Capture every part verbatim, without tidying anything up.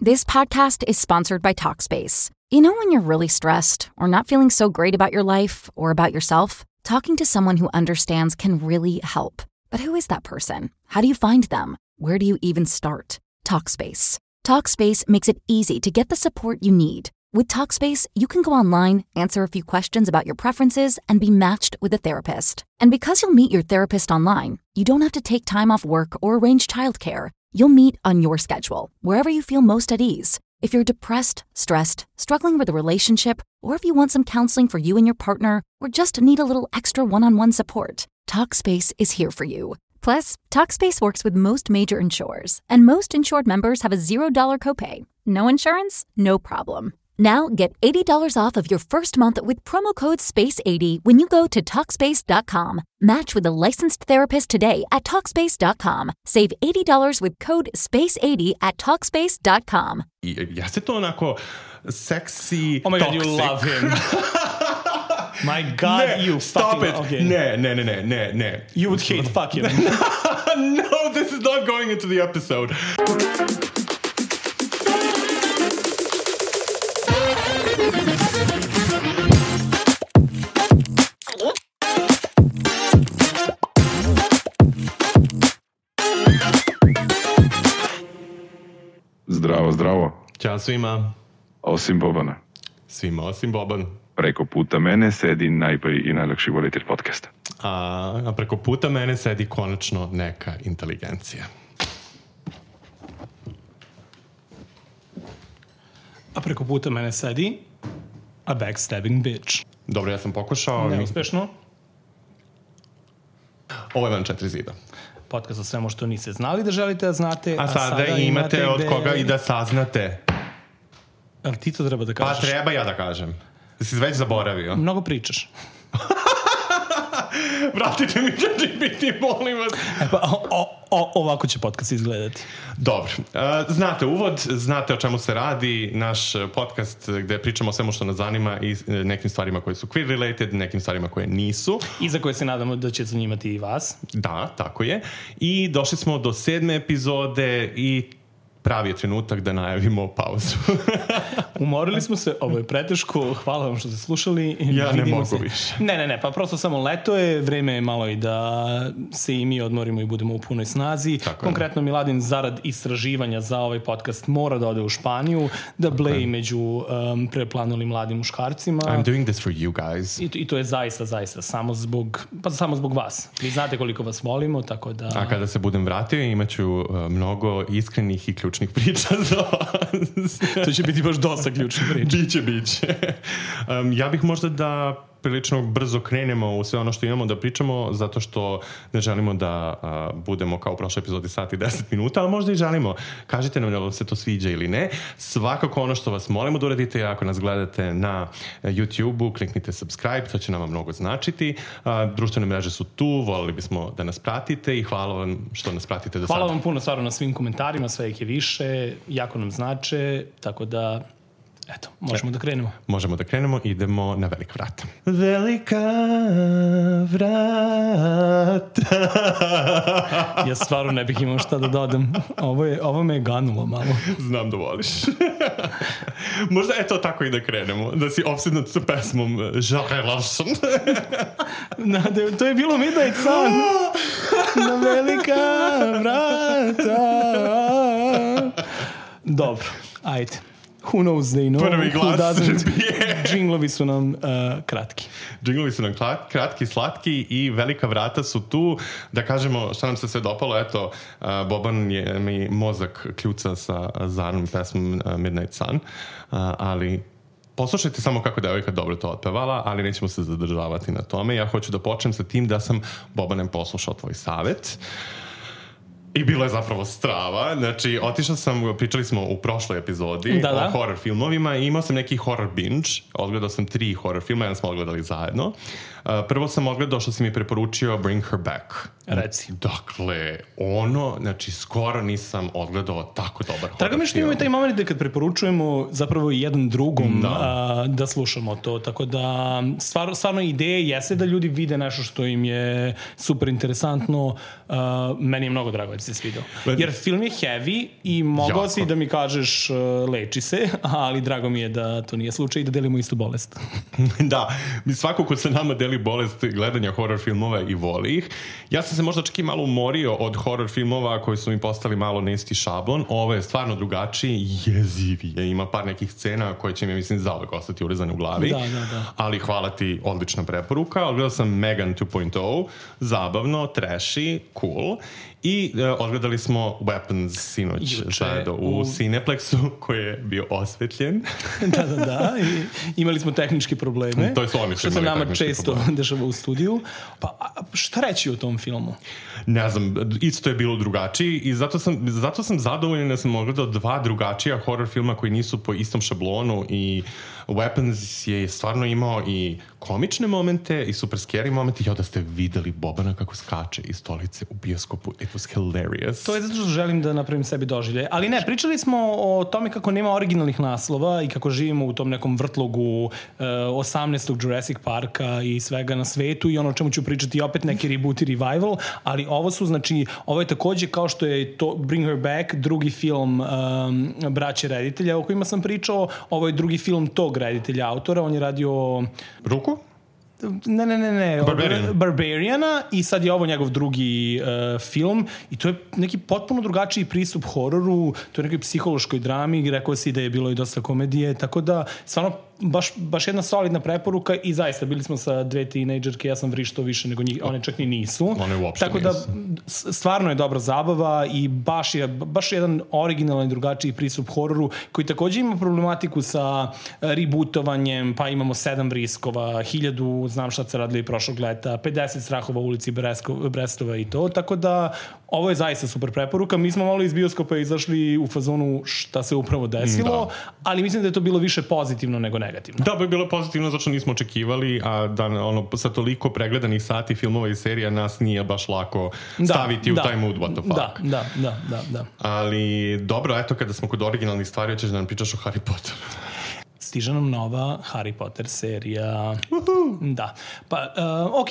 This podcast is sponsored by Talkspace. You know when you're really stressed or not feeling so great about your life or about yourself? Talking to someone who understands can really help. But who is that person? How do you find them? Where do you even start? Talkspace. Talkspace makes it easy to get the support you need. With Talkspace, you can go online, answer a few questions about your preferences, and be matched with a therapist. And because you'll meet your therapist online, you don't have to take time off work or arrange childcare. You'll meet on your schedule, wherever you feel most at ease. If you're depressed, stressed, struggling with a relationship, or if you want some counseling for you and your partner, or just need a little extra one-on-one support, Talkspace is here for you. Plus, Talkspace works with most major insurers, and most insured members have a zero dollars copay. No insurance? No problem. Now get eighty dollars off of your first month with promo code space eighty when you go to Talkspace dot com. Match with a licensed therapist today at Talkspace dot com. Save eighty dollars with code space eighty at Talkspace dot com. Jeste to onako sexy, oh my toxic. God, you love him. My God, ne, you stop fucking... it. Okay. Ne, ne, ne, ne, ne, ne. You would hate fuck him. No, this is not going into the episode. Zdravo, zdravo. Ćao svima. Osim Bobana. Svima osim Boban. Preko puta mene sedi najbolji i najlakši voditelj podcasta. A, a preko puta mene sedi konačno neka inteligencija. A preko puta mene sedi a backstabbing bitch. Dobro, ja sam pokušao. Neuspešno. Ovo je Van četiri zida. Podcast o svemu što niste znali da želite da znate. A, a sada, sada imate, imate od gde... koga i da saznate. Ali ti to treba da kažeš. Pa treba ja da kažem. Da si već zaboravio. Mnogo pričaš. Vratite mi ChatGPT, molim vas. E pa, o, o, ovako će podcast izgledati. Dobro. Uh, znate uvod, znate o čemu se radi. Naš podcast gde pričamo o svemu što nas zanima i nekim stvarima koje su queer related, nekim stvarima koje nisu. I za koje se nadamo da će zanimati i vas. Da, tako je. I došli smo do sedme epizode i pravi je trenutak da najavimo pauzu. Umorili smo se, ovo je preteško, hvala vam što ste slušali. Ja ne mogu se. više. Ne, ne, ne, pa prosto samo leto je, vreme je malo i da se i mi odmorimo i budemo u punoj snazi. Tako Konkretno, je. Miladin zarad istraživanja za ovaj podcast mora da ode u Španiju, da bleji među um, preplanulim mladim muškarcima. I'm doing this for you guys. I to, I to je zaista, zaista, samo zbog, pa samo zbog vas. Vi znate koliko vas volimo, tako da... A kada se budem vratio, imaću uh, mnogo iskrenih i ključnih priča za vas. To će biti baš dosta ključnih priča. Biće, biće. Um, ja bih možda da prilično brzo krenemo u sve ono što imamo da pričamo, zato što ne želimo da uh, budemo kao u prošloj epizodi sat i deset minuta, ali možda i želimo. Kažite nam da vam se to sviđa ili ne. Svakako ono što vas molimo da uradite, ako nas gledate na YouTube-u, kliknite subscribe, to će nama mnogo značiti. Uh, društvene mreže su tu, volili bismo da nas pratite i hvala vam što nas pratite do sada. Hvala vam puno stvarno na svim komentarima, sve ih je više, jako nam znače, tako da eto, možemo da krenemo. Možemo da krenemo, idemo na velika vrata. Velika vrata. Ja stvarno ne bih imao šta da dodam. Ovo, je, ovo me je ganulo malo. Znam da voliš. Možda eto tako i da krenemo. Da si opsednut sa pesmom Jacques Larson. Na, to je bilo Midnight Sun. Na velika vrata. Dobro, ajde. Who knows they know. Prvi glas Srbije. Džinglovi su nam uh, kratki. Džinglovi su nam kratki, slatki i velika vrata su tu. Da kažemo šta nam se sve dopalo. Eto, uh, Boban je mi mozak kljuca sa Zarnom pesmom uh, Midnight Sun. Uh, ali poslušajte samo kako devojka dobro to otpevala, ali nećemo se zadržavati na tome. Ja hoću da počnem sa tim da sam, Bobanem, poslušao tvoj savet. I bilo je zapravo strava. Znači, otišao sam, pričali smo u prošloj epizodi da, da. o horror filmovima i imao sam neki horror binge. Odgledao sam tri horror filma, jedan smo odgledali zajedno. Uh, prvo sam odgledao što si mi preporučio Bring Her Back. Reci. Dakle, ono, znači, skoro nisam odgledao tako dobar horror film. Tako mi što imamo i taj moment da kad preporučujemo zapravo jedan drugom da, a, da slušamo to. Tako da, stvar, stvarno ideje jeste da ljudi vide nešto što im je super interesantno. uh, meni je mnogo drago da se svidao. Jer film je heavy i mogao si da mi kažeš uh, leči se, ali drago mi je da to nije slučaj i da delimo istu bolest. Da, mi svako ko se nama deli bolest gledanja horror filmova i voli ih. Ja sam se možda čak i malo umorio od horror filmova koji su mi postali malo na isti šablon. Ovo je stvarno drugačiji, jezivije. Ima par nekih scena koje će mi, mislim, zauvek ostati urezane u glavi. Da, da, da. Ali hvala ti, odlična preporuka. Odgledao sam Megan two point oh, zabavno, trashy, cool. I uh, odgledali smo Weapons sinoć zajedno u, u Cineplexu koji je bio osvetljen. Da, da, da. I imali smo tehničke probleme. To je su oni što se nama često probleme. Dešava u studiju. Pa šta reći o tom filmu? Ne znam, isto je bilo drugačiji i zato sam, zato sam zadovoljan da sam ogledao dva drugačija horror filma koji nisu po istom šablonu i Weapons je stvarno imao i komične momente i super scary momente. Ja da ste videli Bobana kako skače iz stolice u bioskopu. It was hilarious. To je zato što želim da napravim sebi doživlje. Ali ne, pričali smo o tome kako nema originalnih naslova i kako živimo u tom nekom vrtlogu uh, osamnaestog Jurassic Parka i svega na svetu i ono o čemu ću pričati opet neki reboot i revival, ali ovo su, znači, ovo je takođe kao što je to Bring Her Back, drugi film um, braće reditelja o kojima sam pričao, ovo je drugi film tog reditelja autora, on je radio... Ruku? Ne, ne, ne, ne. Barbarian. Barbariana i sad je ovo njegov drugi uh, film i to je neki potpuno drugačiji pristup hororu, to je nekoj psihološkoj drami, rekao si da je bilo i dosta komedije, tako da stvarno baš, baš jedna solidna preporuka i zaista bili smo sa dve tinejdžerke, ja sam vrištao više nego njih, one čak ni nisu. One uopšte tako nisu. Da stvarno je dobra zabava i baš je baš jedan originalan i drugačiji pristup hororu koji takođe ima problematiku sa rebootovanjem, pa imamo sedam vriskova, hiljadu, znam šta se radili prošlog leta, pedeset strahova u ulici Brestova i to, tako da ovo je zaista super preporuka. Mi smo malo iz bioskopa izašli u fazonu šta se upravo desilo, da. Ali mislim da je to bilo više pozitivno nego negativno. Da, bi bilo pozitivno zato što nismo očekivali, a da ono, sa toliko pregledanih sati filmova i serija nas nije baš lako da, staviti da, u taj mood, what the fuck. Da, da, da, da, da. Ali dobro, eto, kada smo kod originalnih stvari, hoćeš da nam pričaš o Harry Potteru. Stiže nam nova Harry Potter serija. Uhu. Da. Pa, uh, ok,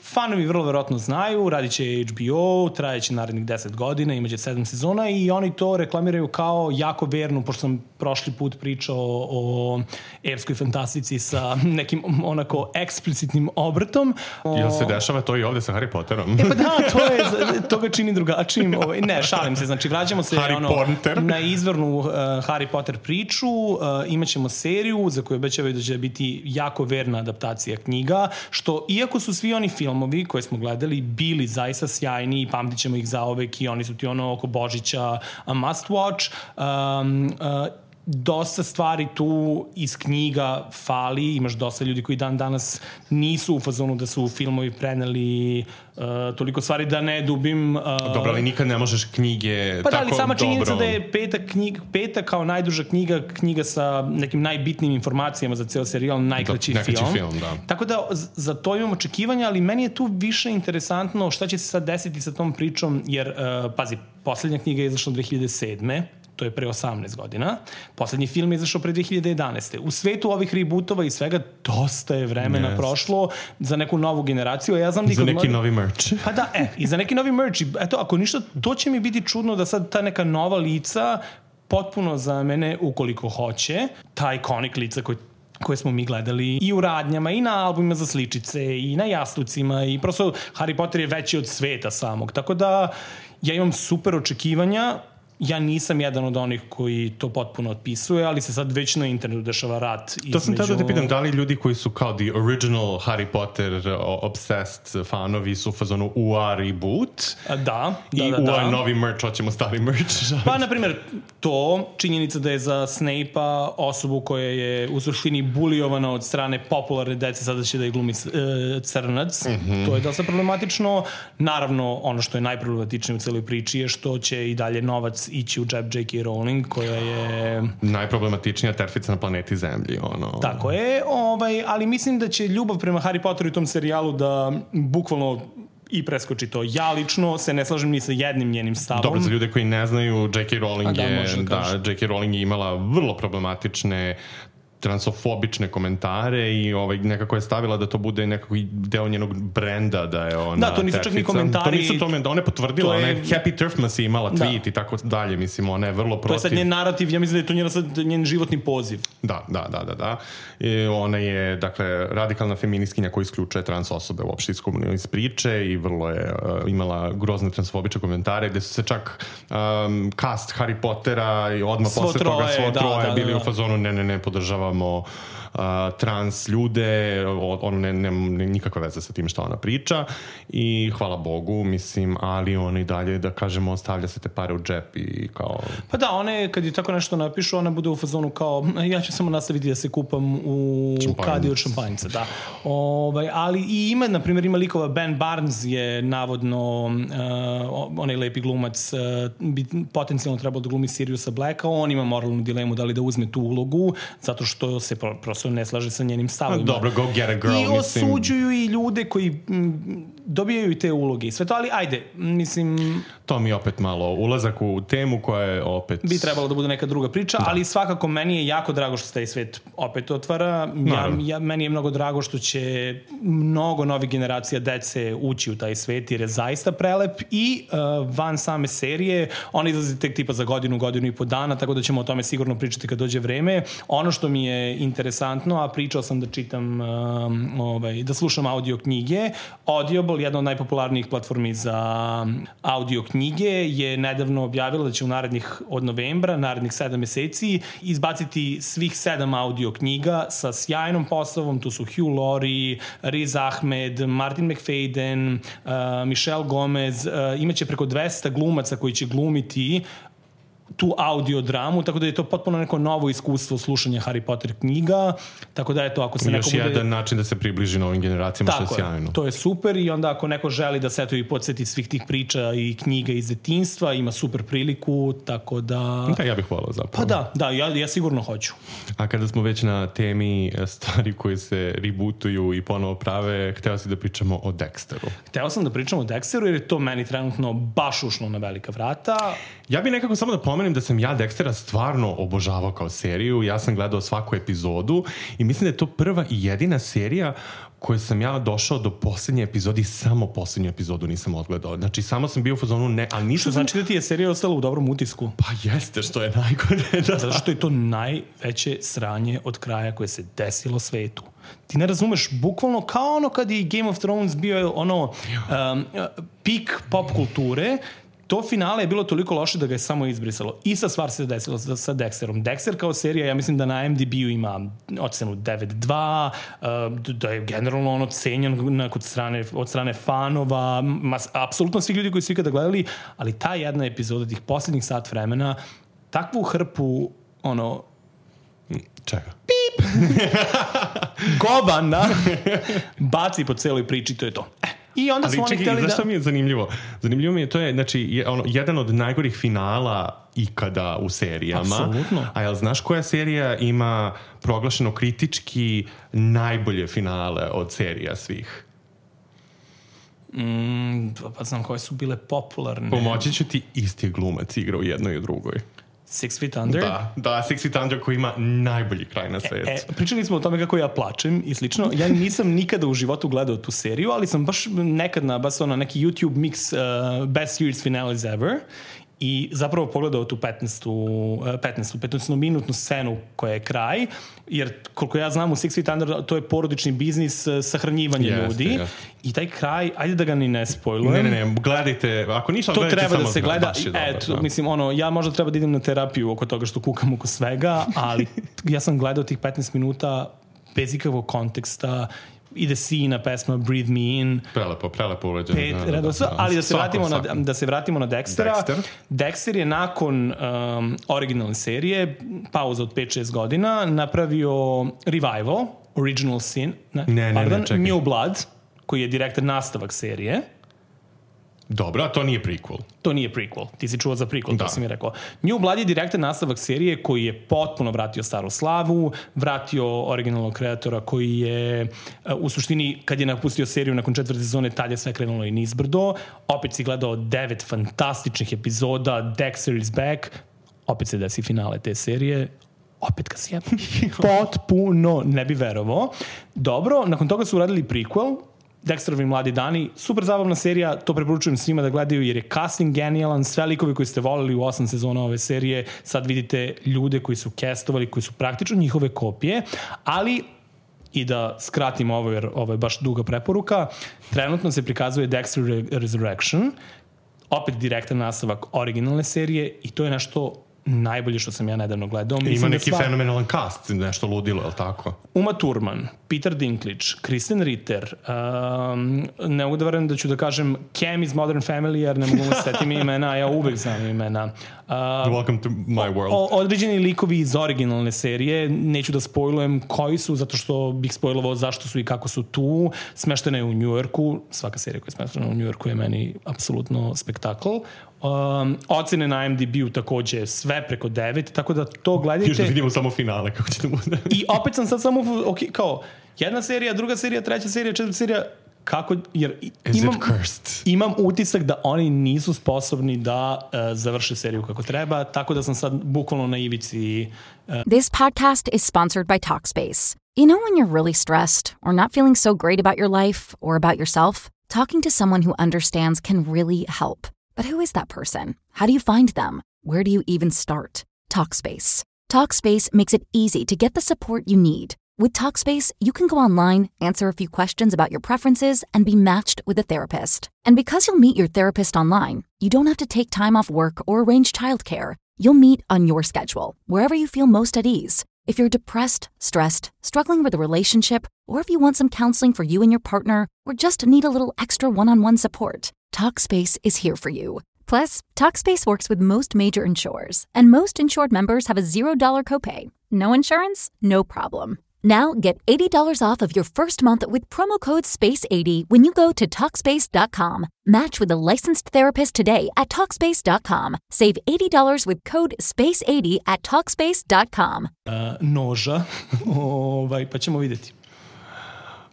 fanovi vrlo verovatno znaju, radit će H B O, trajeće narednih deset godina, imaće sedam sezona i oni to reklamiraju kao jako vernu, pošto sam prošli put pričao o epskoj fantastici sa nekim onako eksplicitnim obrtom. Jel se dešava to i ovde sa Harry Potterom? E pa da, to, je, to ga čini drugačijim. Ne, šalim se, znači vraćamo se ono, na izvornu uh, Harry Potter priču, uh, imaćemo seriju za koju obećavaju da će biti jako verna adaptacija knjiga, što iako su svi oni filmovi koje smo gledali bili zaista sjajni i pamtit ćemo ih zaovek i oni su ti ono oko Božića must watch, um, uh, dosta stvari tu iz knjiga fali, imaš dosta ljudi koji dan danas nisu u fazonu da su filmovi preneli uh, toliko stvari da ne dubim. Uh, dobro, ali nikad ne možeš knjige pa tako dobro. Pa da, ali sama činjenica da je peta, knjiga, peta kao najduža knjiga, knjiga sa nekim najbitnijim informacijama za ceo serijal, najkraći da, film. film da. Tako da za to imam očekivanja, ali meni je tu više interesantno šta će se sad desiti sa tom pričom, jer, uh, pazi, poslednja knjiga je izašla dve hiljade sedme to je pre osamnaest godina. Poslednji film je izašao pre dve hiljade jedanaeste U svetu ovih rebootova i svega dosta je vremena yes. prošlo za neku novu generaciju. Ja znam za neki mladi... novi merch. Pa da, e, i za neki novi merch. Eto, ako ništa, to će mi biti čudno da sad ta neka nova lica potpuno za mene, ukoliko hoće, ta ikonik lica koji koje smo mi gledali i u radnjama, i na albumima za sličice, i na jastucima, i prosto Harry Potter je veći od sveta samog. Tako da ja imam super očekivanja. Ja nisam jedan od onih koji to potpuno otpisuje, ali se sad već na internetu dešava rat između... To sam tada da te pitam, da li ljudi koji su kao the original Harry Potter obsessed fanovi su u fazonu U A reboot? Da, da, i da. I da. U A novi merch, hoćemo stari merch. Pa, na primjer, to, činjenica da je za Snape-a osobu koja je u suštini bulijovana od strane popularne dece, sada će da je glumi uh, crnac, mm-hmm. to je dosta problematično. Naravno, ono što je najproblematičnije u celoj priči je što će i dalje novac ići u džep J K Rowling, koja je... najproblematičnija terfica na planeti Zemlji, ono... Tako je, ovaj, ali mislim da će ljubav prema Harry Potteru i tom serijalu da bukvalno i preskoči to. Ja lično se ne slažem ni sa jednim njenim stavom. Dobro, za ljude koji ne znaju, J K Rowling da, je, da, J K Rowling je imala vrlo problematične transofobične komentare i ovaj, nekako je stavila da to bude nekako deo njenog brenda, da je ona da, to nisu čak ni komentari. To nisu tome, da ona je potvrdila, je... ona je Happy Turfmas je imala tweet da. I tako dalje, mislim, ona je vrlo protiv. To je sad njen narativ, ja mislim da je to njen, sad, njen životni poziv. Da, da, da, da, da. I ona je, dakle, radikalna feministkinja koja isključuje trans osobe uopšte iz, iz priče i vrlo je uh, imala grozne transfobične komentare gde su se čak um, cast Harry Pottera i odmah svo posle troje, toga svo da, troje da, bili da, da. u fazonu ne, ne, ne, podržavamo uh, trans ljude, on ne, ne, ne, nikakve veze sa tim što ona priča i hvala Bogu, mislim, ali on i dalje, da kažemo, stavlja se te pare u džep i kao... Pa da, one, kad je tako nešto napišu, ona bude u fazonu kao, ja ću samo nastaviti da se kupam u kadi od šampanjca, da. Ovaj, ali i ima, na primjer, ima likova, Ben Barnes je navodno uh, onaj lepi glumac, uh, bi potencijalno trebao da glumi Siriusa Blacka, on ima moralnu dilemu da li da uzme tu ulogu, zato što se pro, prosto ne slaže sa njenim stavima. Dobro, go get a girl, I mislim. I osuđuju i ljude koji m, dobijaju te uloge i sve to, ali ajde, mislim... To mi je opet malo ulazak u temu koja je opet... Bi trebalo da bude neka druga priča, da. Ali svakako meni je jako drago što se taj svet opet otvara. Ja, ja, meni je mnogo drago što će mnogo novih generacija dece ući u taj svet jer je zaista prelep i uh, van same serije, on izlazi tek tipa za godinu, godinu i po dana, tako da ćemo o tome sigurno pričati kad dođe vreme. Ono što mi je interesantno, a pričao sam da čitam, uh, ovaj, da slušam audio knjige, Audible, jedna od najpopularnijih platformi za audio knjige, je nedavno objavila da će u narednih od novembra, narednih sedam meseci, izbaciti svih sedam audio knjiga sa sjajnom postavom. Tu su Hugh Laurie, Riz Ahmed, Martin McFadden, uh, Michelle Gomez, uh, imaće preko dvesta glumaca koji će glumiti tu audio dramu, tako da je to potpuno neko novo iskustvo slušanja Harry Potter knjiga, tako da je to ako se neko bude... Još jedan način da se približi novim generacijama, što je sjajno. To je super i onda ako neko želi da se eto i podsjeti svih tih priča i knjiga iz detinjstva, ima super priliku, tako da... Da, ja bih volao zapravo. Pa da, da, ja, ja sigurno hoću. A kada smo već na temi stvari koje se rebootuju i ponovo prave, hteo si da pričamo o Dexteru. Hteo sam da pričamo o Dexteru jer je to meni trenutno baš ušlo na velika vrata. Ja bih nekako samo da pomenem da sam ja Dextera stvarno obožavao kao seriju. Ja sam gledao svaku epizodu i mislim da je to prva i jedina serija koju sam ja došao do posljednje epizode i samo posljednju epizodu nisam odgledao. Znači, samo sam bio u fazonu ne, ali nisam... Što znači da ti je serija ostala u dobrom utisku? Pa jeste, što je najgore. Da. Zato što je to najveće sranje od kraja koje se desilo svetu. Ti ne razumeš, bukvalno kao ono kad je Game of Thrones bio ono um, pik pop kulture, to finale je bilo toliko loše da ga je samo izbrisalo. I sa stvar se desilo sa, sa Dexterom. Dexter kao serija, ja mislim da na I M D B-u ima ocenu devet dva, uh, da je generalno ono cenjen od strane, od strane fanova, mas, apsolutno svi ljudi koji su ikada gledali, ali ta jedna epizoda tih posljednjih sat vremena, takvu hrpu, ono... Čega? Pip! Govana baci po celoj priči, to je to. Eh. I onda ali su oni čekaj, hteli da... zašto mi je zanimljivo? Zanimljivo mi je, to je, znači, je, ono, jedan od najgorih finala ikada u serijama. Apsolutno. A jel znaš koja serija ima proglašeno kritički najbolje finale od serija svih? Mm, pa znam koje su bile popularne. Pomoći ću ti, isti glumac igra u jednoj i u drugoj. Six Feet Under? Da, da, Six Feet Under koji ima najbolji kraj na svetu. E, e, pričali smo o tome kako ja plačem i slično. Ja nisam nikada u životu gledao tu seriju, ali sam baš nekad nabasao na neki YouTube mix uh, Best Series Finales Ever i zapravo pogledao tu petnaestu, petnaestu, petnaestu minutnu scenu koja je kraj, jer koliko ja znam u Six Feet Under to je porodični biznis sahranjivanja yes, ljudi yes. I taj kraj, ajde da ga ni ne spojlujem. Ne, ne, ne, gledajte, ako ništa to gledajte treba samo da se gleda, et, dobro, mislim, ono, ja možda treba da idem na terapiju oko toga što kukam oko svega, ali ja sam gledao tih petnaest minuta bez ikakvog konteksta, ide Sina pesma Breathe Me In. Prelepo, prelepo uređeno. Pet da, da, da, ali da se, svako, vratimo svako. Na, da se vratimo na Dextera. Dexter, Dexter je nakon um, originalne serije, pauza od pet šest godina, napravio revival, Original Sin, ne, ne, pardon, ne, ne, New Blood, koji je direktan nastavak serije. Dobro, a to nije prequel. To nije prequel. Ti si čuo za prequel, da. To si mi rekao. New Blood je direktan nastavak serije koji je potpuno vratio staru slavu, vratio originalnog kreatora koji je u suštini, kad je napustio seriju nakon četvrte sezone, tad je sve krenulo i nizbrdo. Opet si gledao devet fantastičnih epizoda, Dexter is back, opet se desi finale te serije, opet ga si ja potpuno ne bi verovao. Dobro, nakon toga su uradili prequel, Dexterovi mladi dani, super zabavna serija, to preporučujem svima da gledaju jer je casting genijalan, sve likovi koji ste voleli u osam sezona ove serije, sad vidite ljude koji su castovali, koji su praktično njihove kopije, ali i da skratim ovo jer ovo je baš duga preporuka, trenutno se prikazuje Dexter Resurrection, opet direktan nastavak originalne serije i to je nešto najbolje što sam ja nedavno gledao. Mislim ima neki da sva... fenomenalan cast, nešto ludilo, je li tako? Uma Thurman, Peter Dinklage, Kristen Ritter, um, ne mogu da verujem da ću da kažem Cam iz Modern Family, jer ne mogu da setim imena, ja uvek znam imena. Uh, Welcome to my world. O, određeni likovi iz originalne serije, neću da spojlujem koji su, zato što bih spojlovao zašto su i kako su tu. Smeštena je u Njujorku, svaka serija koja je smeštena u Njujorku je meni apsolutno spektakl. Um, ocene na I M D B-u takođe sve preko devet, tako da to gledajte. Još da vidimo samo finale kako će da bude. I opet sam sad samo, ok, kao jedna serija, druga serija, treća serija, četvrta serija, kako, jer imam, imam utisak da oni nisu sposobni da uh, završe seriju kako treba, tako da sam sad bukvalno na ivici. Uh... This podcast is sponsored by Talkspace. You know when you're really stressed or not feeling so great about your life or about yourself? Talking to someone who understands can really help. But who is that person? How do you find them? Where do you even start? Talkspace. Talkspace makes it easy to get the support you need. With Talkspace, you can go online, answer a few questions about your preferences, and be matched with a therapist. And because you'll meet your therapist online, you don't have to take time off work or arrange childcare. You'll meet on your schedule, wherever you feel most at ease. If you're depressed, stressed, struggling with a relationship, or if you want some counseling for you and your partner, or just need a little extra one-on-one support, Talkspace is here for you. Plus, Talkspace works with most major insurers, and most insured members have a zero dollar copay. No insurance? No problem. Now get eighty dollars off of your first month with promo code space eighty when you go to Talkspace dot com. Match with a licensed therapist today at Talkspace dot com. Save eighty dollars with code space eighty at Talkspace dot com. Uh, noža, ovaj, pa ćemo vidjeti.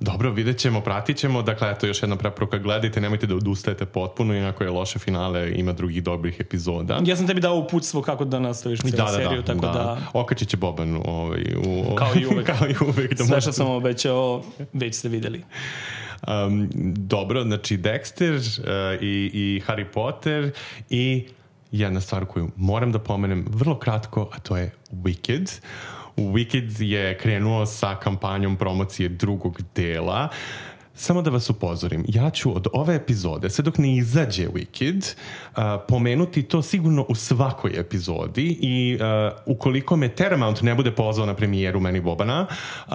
Dobro, vidjet ćemo, pratit ćemo. Dakle, eto još jedna preporuka, gledajte, nemojte da odustajete potpuno, inako je loše finale, ima drugih dobrih epizoda. Ja sam tebi dao uputstvo kako da nastaviš cijelu da, seriju, da, tako da... da. Okačit će Boban ovaj, u... Kao i uvek. Kao i uvek da sve što sam obećao, već ste videli. Um, dobro, znači Dexter uh, i, i Harry Potter i jedna stvar koju moram da pomenem vrlo kratko, a to je Wicked. Wicked je krenuo sa kampanjom promocije drugog dela. Samo da vas upozorim, ja ću od ove epizode, sve dok ne izađe Wicked, uh, pomenuti to sigurno u svakoj epizodi i uh, ukoliko me Paramount ne bude pozvao na premijeru meni Bobana, uh,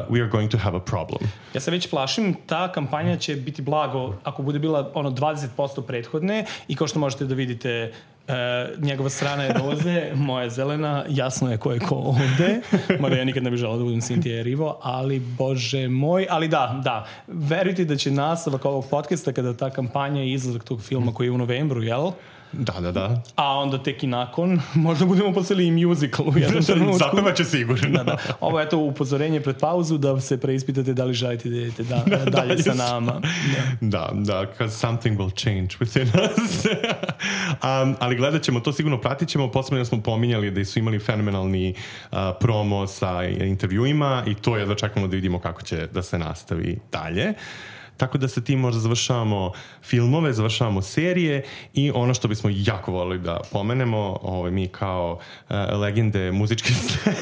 we are going to have a problem. Ja se već plašim, ta kampanja će biti blago ako bude bila ono dvadeset posto prethodne i kao što možete da vidite, Uh, njegova strana je roze, moja je zelena, jasno je ko je ko ovde, mada ja nikad ne bih želao da budem Cynthia Erivo, ali bože moj, ali da, da, verujte da će nastavak ovog podcasta kada ta kampanja i izlazak tog filma koji je u novembru, jel? Da, da, da. A onda tek i nakon, možda budemo poslali i musical u jednom trenutku. Zapeva će sigurno. Da, da. Ovo je to upozorenje pred pauzu da se preispitate da li želite da idete da, da, dalje da, sa nama. Da, da, da, because something will change within us. um, ali gledat ćemo, to sigurno pratit ćemo. Posledno smo pominjali da su imali fenomenalni uh, promo sa intervjuima i to jedva čekamo da vidimo kako će da se nastavi dalje. Tako da sa tim možda završavamo filmove, završavamo serije i ono što bismo jako volili da pomenemo, ovaj, mi kao uh, legende muzičke scene.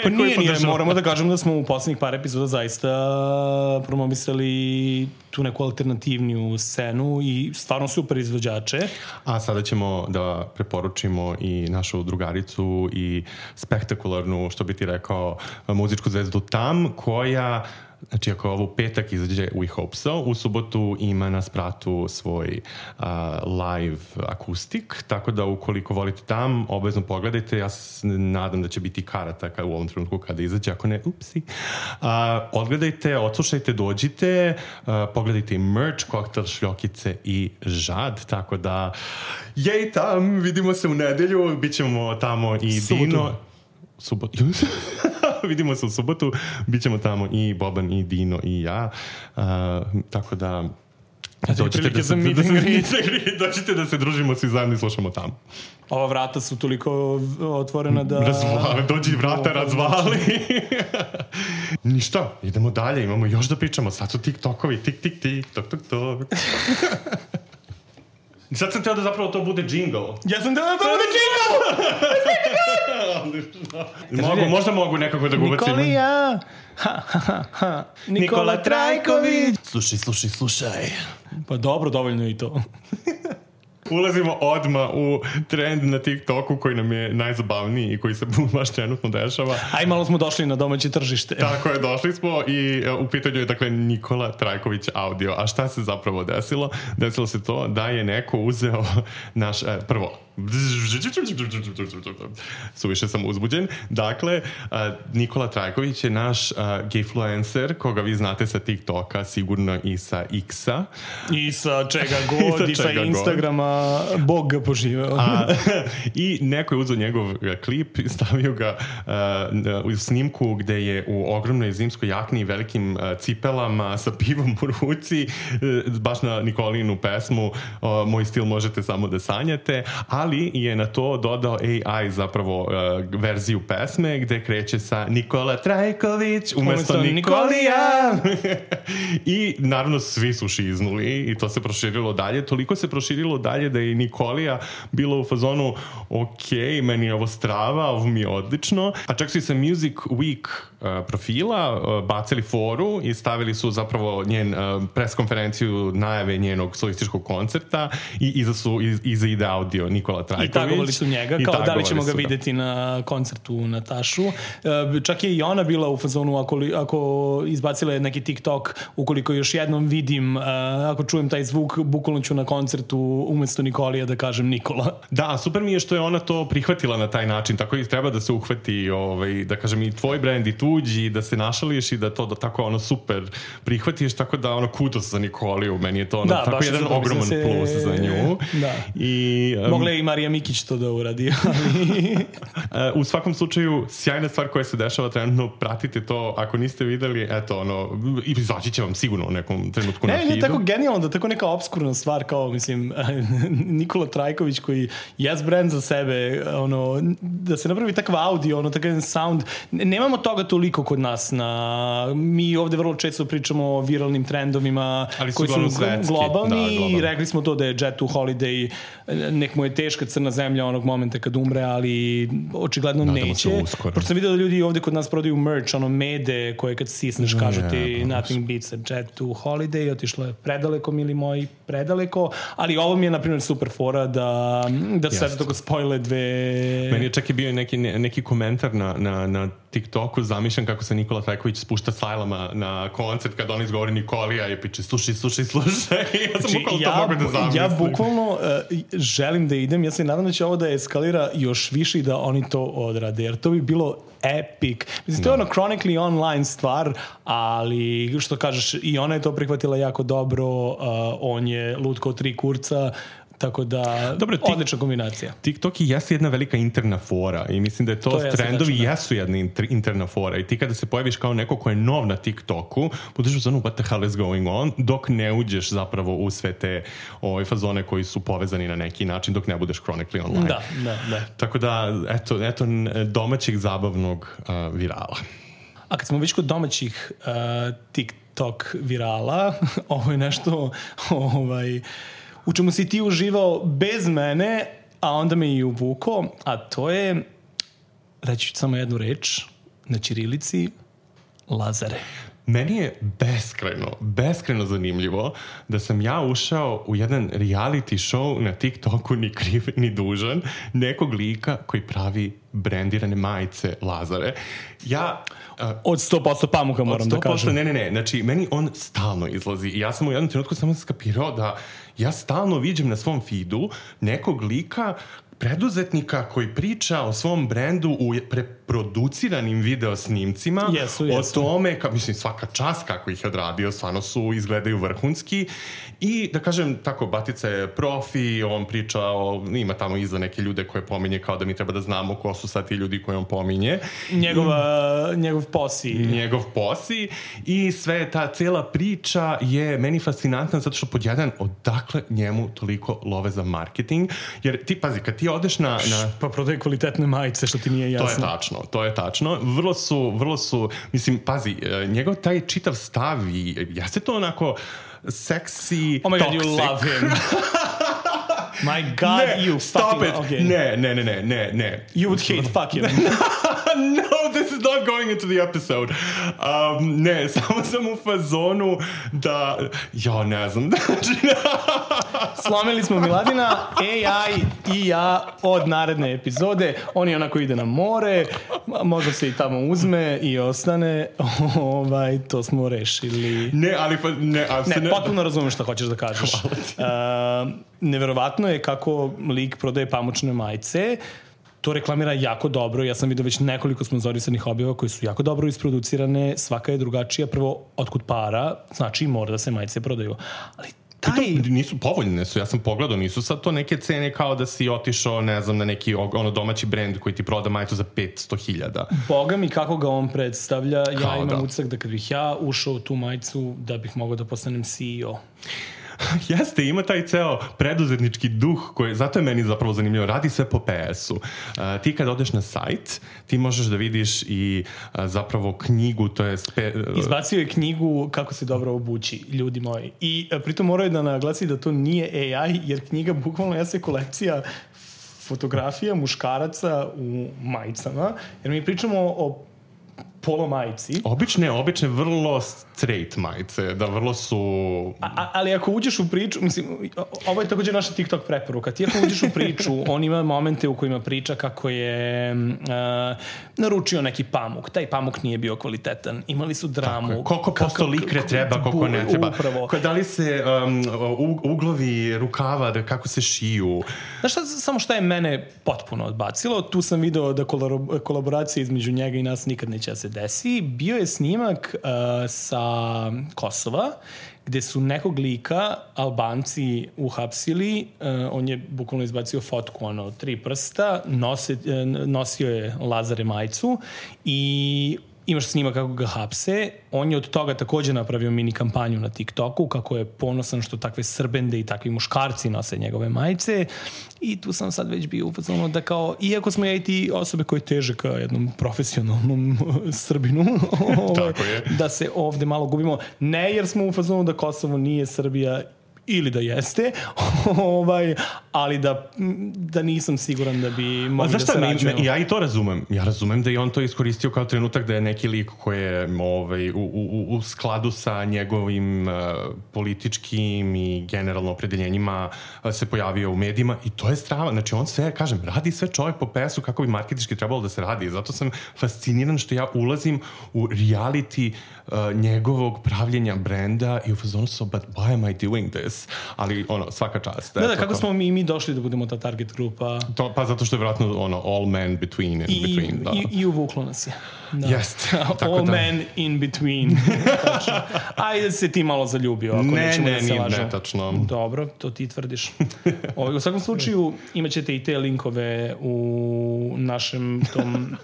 Pa nije, nije, moramo da kažemo da smo u poslednjih par epizoda zaista promovisali tu neku alternativniju scenu i stvarno super izvođače. A sada ćemo da preporučimo i našu drugaricu i spektakularnu, što bi ti rekao, muzičku zvezdu Tam, koja... Znači, ako ovo petak izađe We Hope So, u subotu ima na spratu svoj uh, live akustik, tako da ukoliko volite Tam, obavezno pogledajte. Ja se nadam da će biti karata u ovom trenutku kada izađe, ako ne, upsi. Uh, odgledajte, odslušajte, dođite, uh, pogledajte i merch, koktel, šljokice i žad, tako da jej Tam, vidimo se u nedelju, bit ćemo tamo i Subotu. Dino. Subotu. Vidimo se u subotu, bit ćemo tamo i Boban i Dino i ja, uh, tako da Dođite da, se, da, da, se, dođite da se družimo svi zajedno i slušamo tamo. Ova vrata su toliko otvorena da... Razvali, dođi vrata, razvali. Ništa, idemo dalje, imamo još da pričamo. Sad su TikTokovi, tik, tik, tik, tok, tok, tok. Sad sam teo da zapravo to bude jingle. Ja sam teo da to bude jingle! mogu, možda mogu nekako da ga ubacim. Nikolija! Ha, ha, ha, ha. Nikola Trajković! Slušaj, slušaj, slušaj. Pa dobro, dovoljno je i to. Ulazimo odmah u trend na TikToku koji nam je najzabavniji i koji se baš trenutno dešava. Aj, malo smo došli na domaće tržište. Tako je, došli smo i u pitanju je dakle Nikola Trajković audio. A šta se zapravo desilo? Desilo se to da je neko uzeo naš, eh, prvo, suviše sam uzbuđen. Dakle, uh, Nikola Trajković je naš uh, gayfluencer, koga vi znate sa TikToka, sigurno i sa X-a. I sa čega god, i sa, i sa Instagrama, god. Bog ga poživeo. A, I neko je uzeo njegov klip, stavio ga uh, u snimku gde je u ogromnoj zimskoj jakni i velikim uh, cipelama sa pivom u ruci, uh, baš na Nikolinu pesmu uh, Moj stil možete samo da sanjate, ali ali je na to dodao A I zapravo uh, verziju pesme gde kreće sa Nikola Trajković umesto Nikolija. I naravno svi su šiznuli i to se proširilo dalje. Toliko se proširilo dalje da je Nikolija bila u fazonu ok, meni je ovo strava, ovo mi je odlično. A čak su i sa Music Week uh, profila uh, bacili foru i stavili su zapravo njen uh, preskonferenciju najave njenog solističkog koncerta i iza, su, iz, iza ide audio Nikola Trajković. I tagovali su njega, kao da li ćemo ga videti na koncertu Natašu. Uh, čak je i ona bila u fazonu ako, ako izbacila je neki TikTok, ukoliko još jednom vidim, uh, ako čujem taj zvuk, bukvalno ću na koncertu umesto Nikolija da kažem Nikola. Da, super mi je što je ona to prihvatila na taj način, tako i treba da se uhvati, ovaj, da kažem i tvoj brand i tuđi, da se našališ i da to da tako ono super prihvatiš, tako da ono kudos za Nikoliju, meni je to ono, da, tako jedan ogroman se... plus za nju. Da. I, um, mogla je i Marija Mikić to da uradi. U svakom slučaju, sjajna stvar koja se dešava trenutno, pratite to, ako niste videli, eto, ono, izaći će vam sigurno u nekom trenutku ne, na feedu. Ne, tako genijalno, da tako neka obskurna stvar, kao, mislim, Nikola Trajković koji jes brand za sebe, ono, da se napravi takav audio, ono, takav sound. Nemamo toga toliko kod nas. Na, mi ovde vrlo često pričamo o viralnim trendovima koji su svetski, globalni, da, globalni i rekli smo to da je Jet to Holiday, nek mu je teška crna zemlja onog momenta kad umre, ali očigledno nadamo neće. Pošto sam vidio da ljudi ovde kod nas prodaju merch, ono mede koje kad sisneš no, kažu ti yeah, nothing beats a Jet to Holiday, otišlo je predaleko, mili moji, predaleko, ali ovo mi je na primjer super fora da, da sve tako spojile dve... Meni je čak i bio neki, neki komentar na, na, na TikToku, zamišljam kako se Nikola Trajković spušta sajlama na koncert kad on izgovori Nikolija i piče slušaj, slušaj, slušaj. Ja sam bukvalno ja, to mogu da zamislim. Ja bukvalno uh, želim da idem, ja se nadam da će ovo da eskalira još više i da oni to odrade, jer to bi bilo epic. Mislim, to je ono chronically online stvar, ali što kažeš, i ona je to prihvatila jako dobro, uh, on je lud kao tri kurca, tako da, dobro, tik, odlična kombinacija. TikTok i jesu jedna velika interna fora i mislim da je to, to trendovi je jesu jedna interna fora i ti kada se pojaviš kao neko ko je nov na TikToku, budeš u zonu what the hell is going on, dok ne uđeš zapravo u sve te ove fazone koji su povezani na neki način, dok ne budeš chronically online. Da, da, da. Tako da, eto, eto domaćih zabavnog uh, virala. A kad smo već kod domaćih uh, TikTok virala, ovo je nešto ovaj... u čemu si ti uživao bez mene, a onda me i uvuko, a to je, reći ću samo jednu reč, na ćirilici, Lazare. Meni je beskrajno, beskrajno zanimljivo da sam ja ušao u jedan reality show na TikToku, ni kriv, ni dužan, nekog lika koji pravi brendirane majice Lazare. Ja... Uh, od sto posto pamuka moram da kažem. Ne, ne, ne. Znači, meni on stalno izlazi. I ja sam u jednom trenutku samo skapirao da ja stalno viđem na svom feedu nekog lika preduzetnika koji priča o svom brendu u preproduciranim video snimcima, jesu, jesu. o tome, ka, mislim, svaka čast kako ih je odradio, stvarno su, izgledaju vrhunski i da kažem, tako, Batica je profi, on priča o, ima tamo iza neke ljude koje pominje kao da mi treba da znamo ko su sad ti ljudi koje on pominje. Njegova, I, njegov posi. Njegov posi i sve ta cela priča je meni fascinantna zato što pod jedan, odakle njemu toliko love za marketing, jer ti, pazi, kad ti odeš na... na... Pa prodaje kvalitetne majice, što ti nije jasno. To je tačno, to je tačno. Vrlo su, vrlo su, mislim, pazi, njegov taj čitav stav i jeste to onako seksi, oh my toxic. God, you love him. My God, ne, you stop fucking... it. Okay. Ne, ne, ne, ne, ne, ne. You would hate fuck him. No, this is not going into the episode. Um, ne, samo sam u fazonu da... Ja, ne znam. Slomili smo Miladina, A I i ja od naredne epizode. On je onako ide na more, možda se i tamo uzme i ostane. Ovaj, to smo rešili. Ne, ali... Pa, ne, ali ne, ne, potpuno razumem šta hoćeš da kažeš. Uh, neverovatno je kako lik prodaje pamučne majice. To reklamira jako dobro. Ja sam vidio već nekoliko sponzorisanih objava koji su jako dobro isproducirane. Svaka je drugačija. Prvo, otkud para, znači mora da se majice prodaju. Ali taj... To nisu povoljne su, ja sam pogledao, nisu sad to neke cene kao da si otišao, ne znam, na neki ono domaći brend koji ti proda majicu za petsto hiljada. Boga mi kako ga on predstavlja, kao ja imam da. utisak da kad bih ja ušao u tu majicu, da bih mogao da postanem C E O. Jeste, ima taj ceo preduzetnički duh koji, zato je meni zapravo zanimljivo, radi sve po P S-u. Uh, ti kad odeš na sajt, ti možeš da vidiš i uh, zapravo knjigu, to je... Spe, uh, Izbacio je knjigu Kako se dobro obući, ljudi moji. I uh, pritom moraju da naglasi da to nije A I, jer knjiga bukvalno jeste kolekcija fotografija muškaraca u majicama, jer mi pričamo o polo majici. Obične, obične, vrlo straight majice, da vrlo su... A, ali ako uđeš u priču, mislim, ovo je također naša TikTok preporuka, ti ako uđeš u priču, on ima momente u kojima priča kako je uh, naručio neki pamuk, taj pamuk nije bio kvalitetan, imali su dramu. Koliko posto likre treba, koliko ne treba. Upravo. Da li se um, uglovi rukava, da kako se šiju. Znaš šta, samo šta je mene potpuno odbacilo, tu sam video da kolaboracija između njega i nas nikad neće da se desi. Bio je snimak uh, sa Kosova, gde su nekog lika Albanci uhapsili, uh, on je bukvalno izbacio fotku, ono, tri prsta, nose, uh, nosio je Lazare majicu i imaš snima kako ga hapse. On je od toga također napravio mini kampanju na TikToku, kako je ponosan što takve srbende i takvi muškarci nose njegove majice. I tu sam sad već bio u fazonu da kao, iako smo ja i ti osobe koje teže ka jednom profesionalnom Srbinu, da se ovde malo gubimo. Ne jer smo u fazonu da Kosovo nije Srbija ili da jeste, ovaj, ali da, da nisam siguran da bi mogli da se rađujemo. Ja i to razumem. Ja razumem da je on to iskoristio kao trenutak da je neki lik koji je ovaj, u, u, u skladu sa njegovim uh, političkim i generalno opredeljenjima uh, se pojavio u medijima i to je strava. Znači on sve, kažem, radi sve čovjek po P S-u kako bi marketički trebalo da se radi. Zato sam fasciniran što ja ulazim u reality uh, njegovog pravljenja brenda i u fazonu so, but why am I doing this? Ali ono, svaka čast. Da, da, kako smo mi, mi došli da budemo ta target grupa? To, pa zato što je vjerojatno ono, all men between and I, between. Da. I, i uvuklo nas je. Da. Jest. All da. Men in between. Ajde se ti malo zaljubio. Ako ne, ne, da se ne, ne, tačno. Dobro, to ti tvrdiš. O, u svakom slučaju imat ćete i te linkove u našem tom...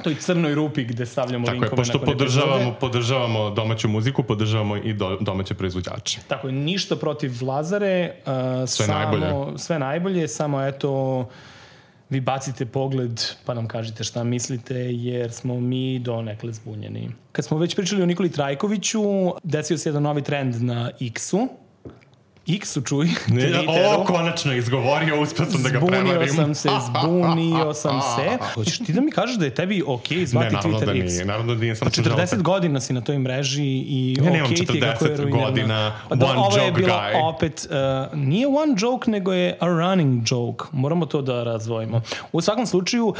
toj crnoj rupi gde stavljamo tako linkove. Tako je, pošto podržavamo, podržavamo domaću muziku, podržavamo i do, domaće proizvođače. Tako je, ništa protiv Lazare. Uh, sve samo, najbolje. Sve najbolje, samo eto, vi bacite pogled pa nam kažete šta mislite, jer smo mi donekle zbunjeni. Kad smo već pričali o Nikoli Trajkoviću, desio se jedan novi trend na X-u. X-u, čuj. O, konačno izgovorio, uspio sam da ga prevarim. Zbunio sam se, zbunio sam se. Hoćeš ti da mi kažeš da je tebi okej okay zvati Twitter da X? Nije, naravno da nije. Sam četrdeset godina si na toj mreži i ja okej okay ti je kako je ruinirana. Godina, da, one ovo je joke bilo guy. opet, uh, nije one joke, nego je a running joke. Moramo to da razvojimo. U svakom slučaju,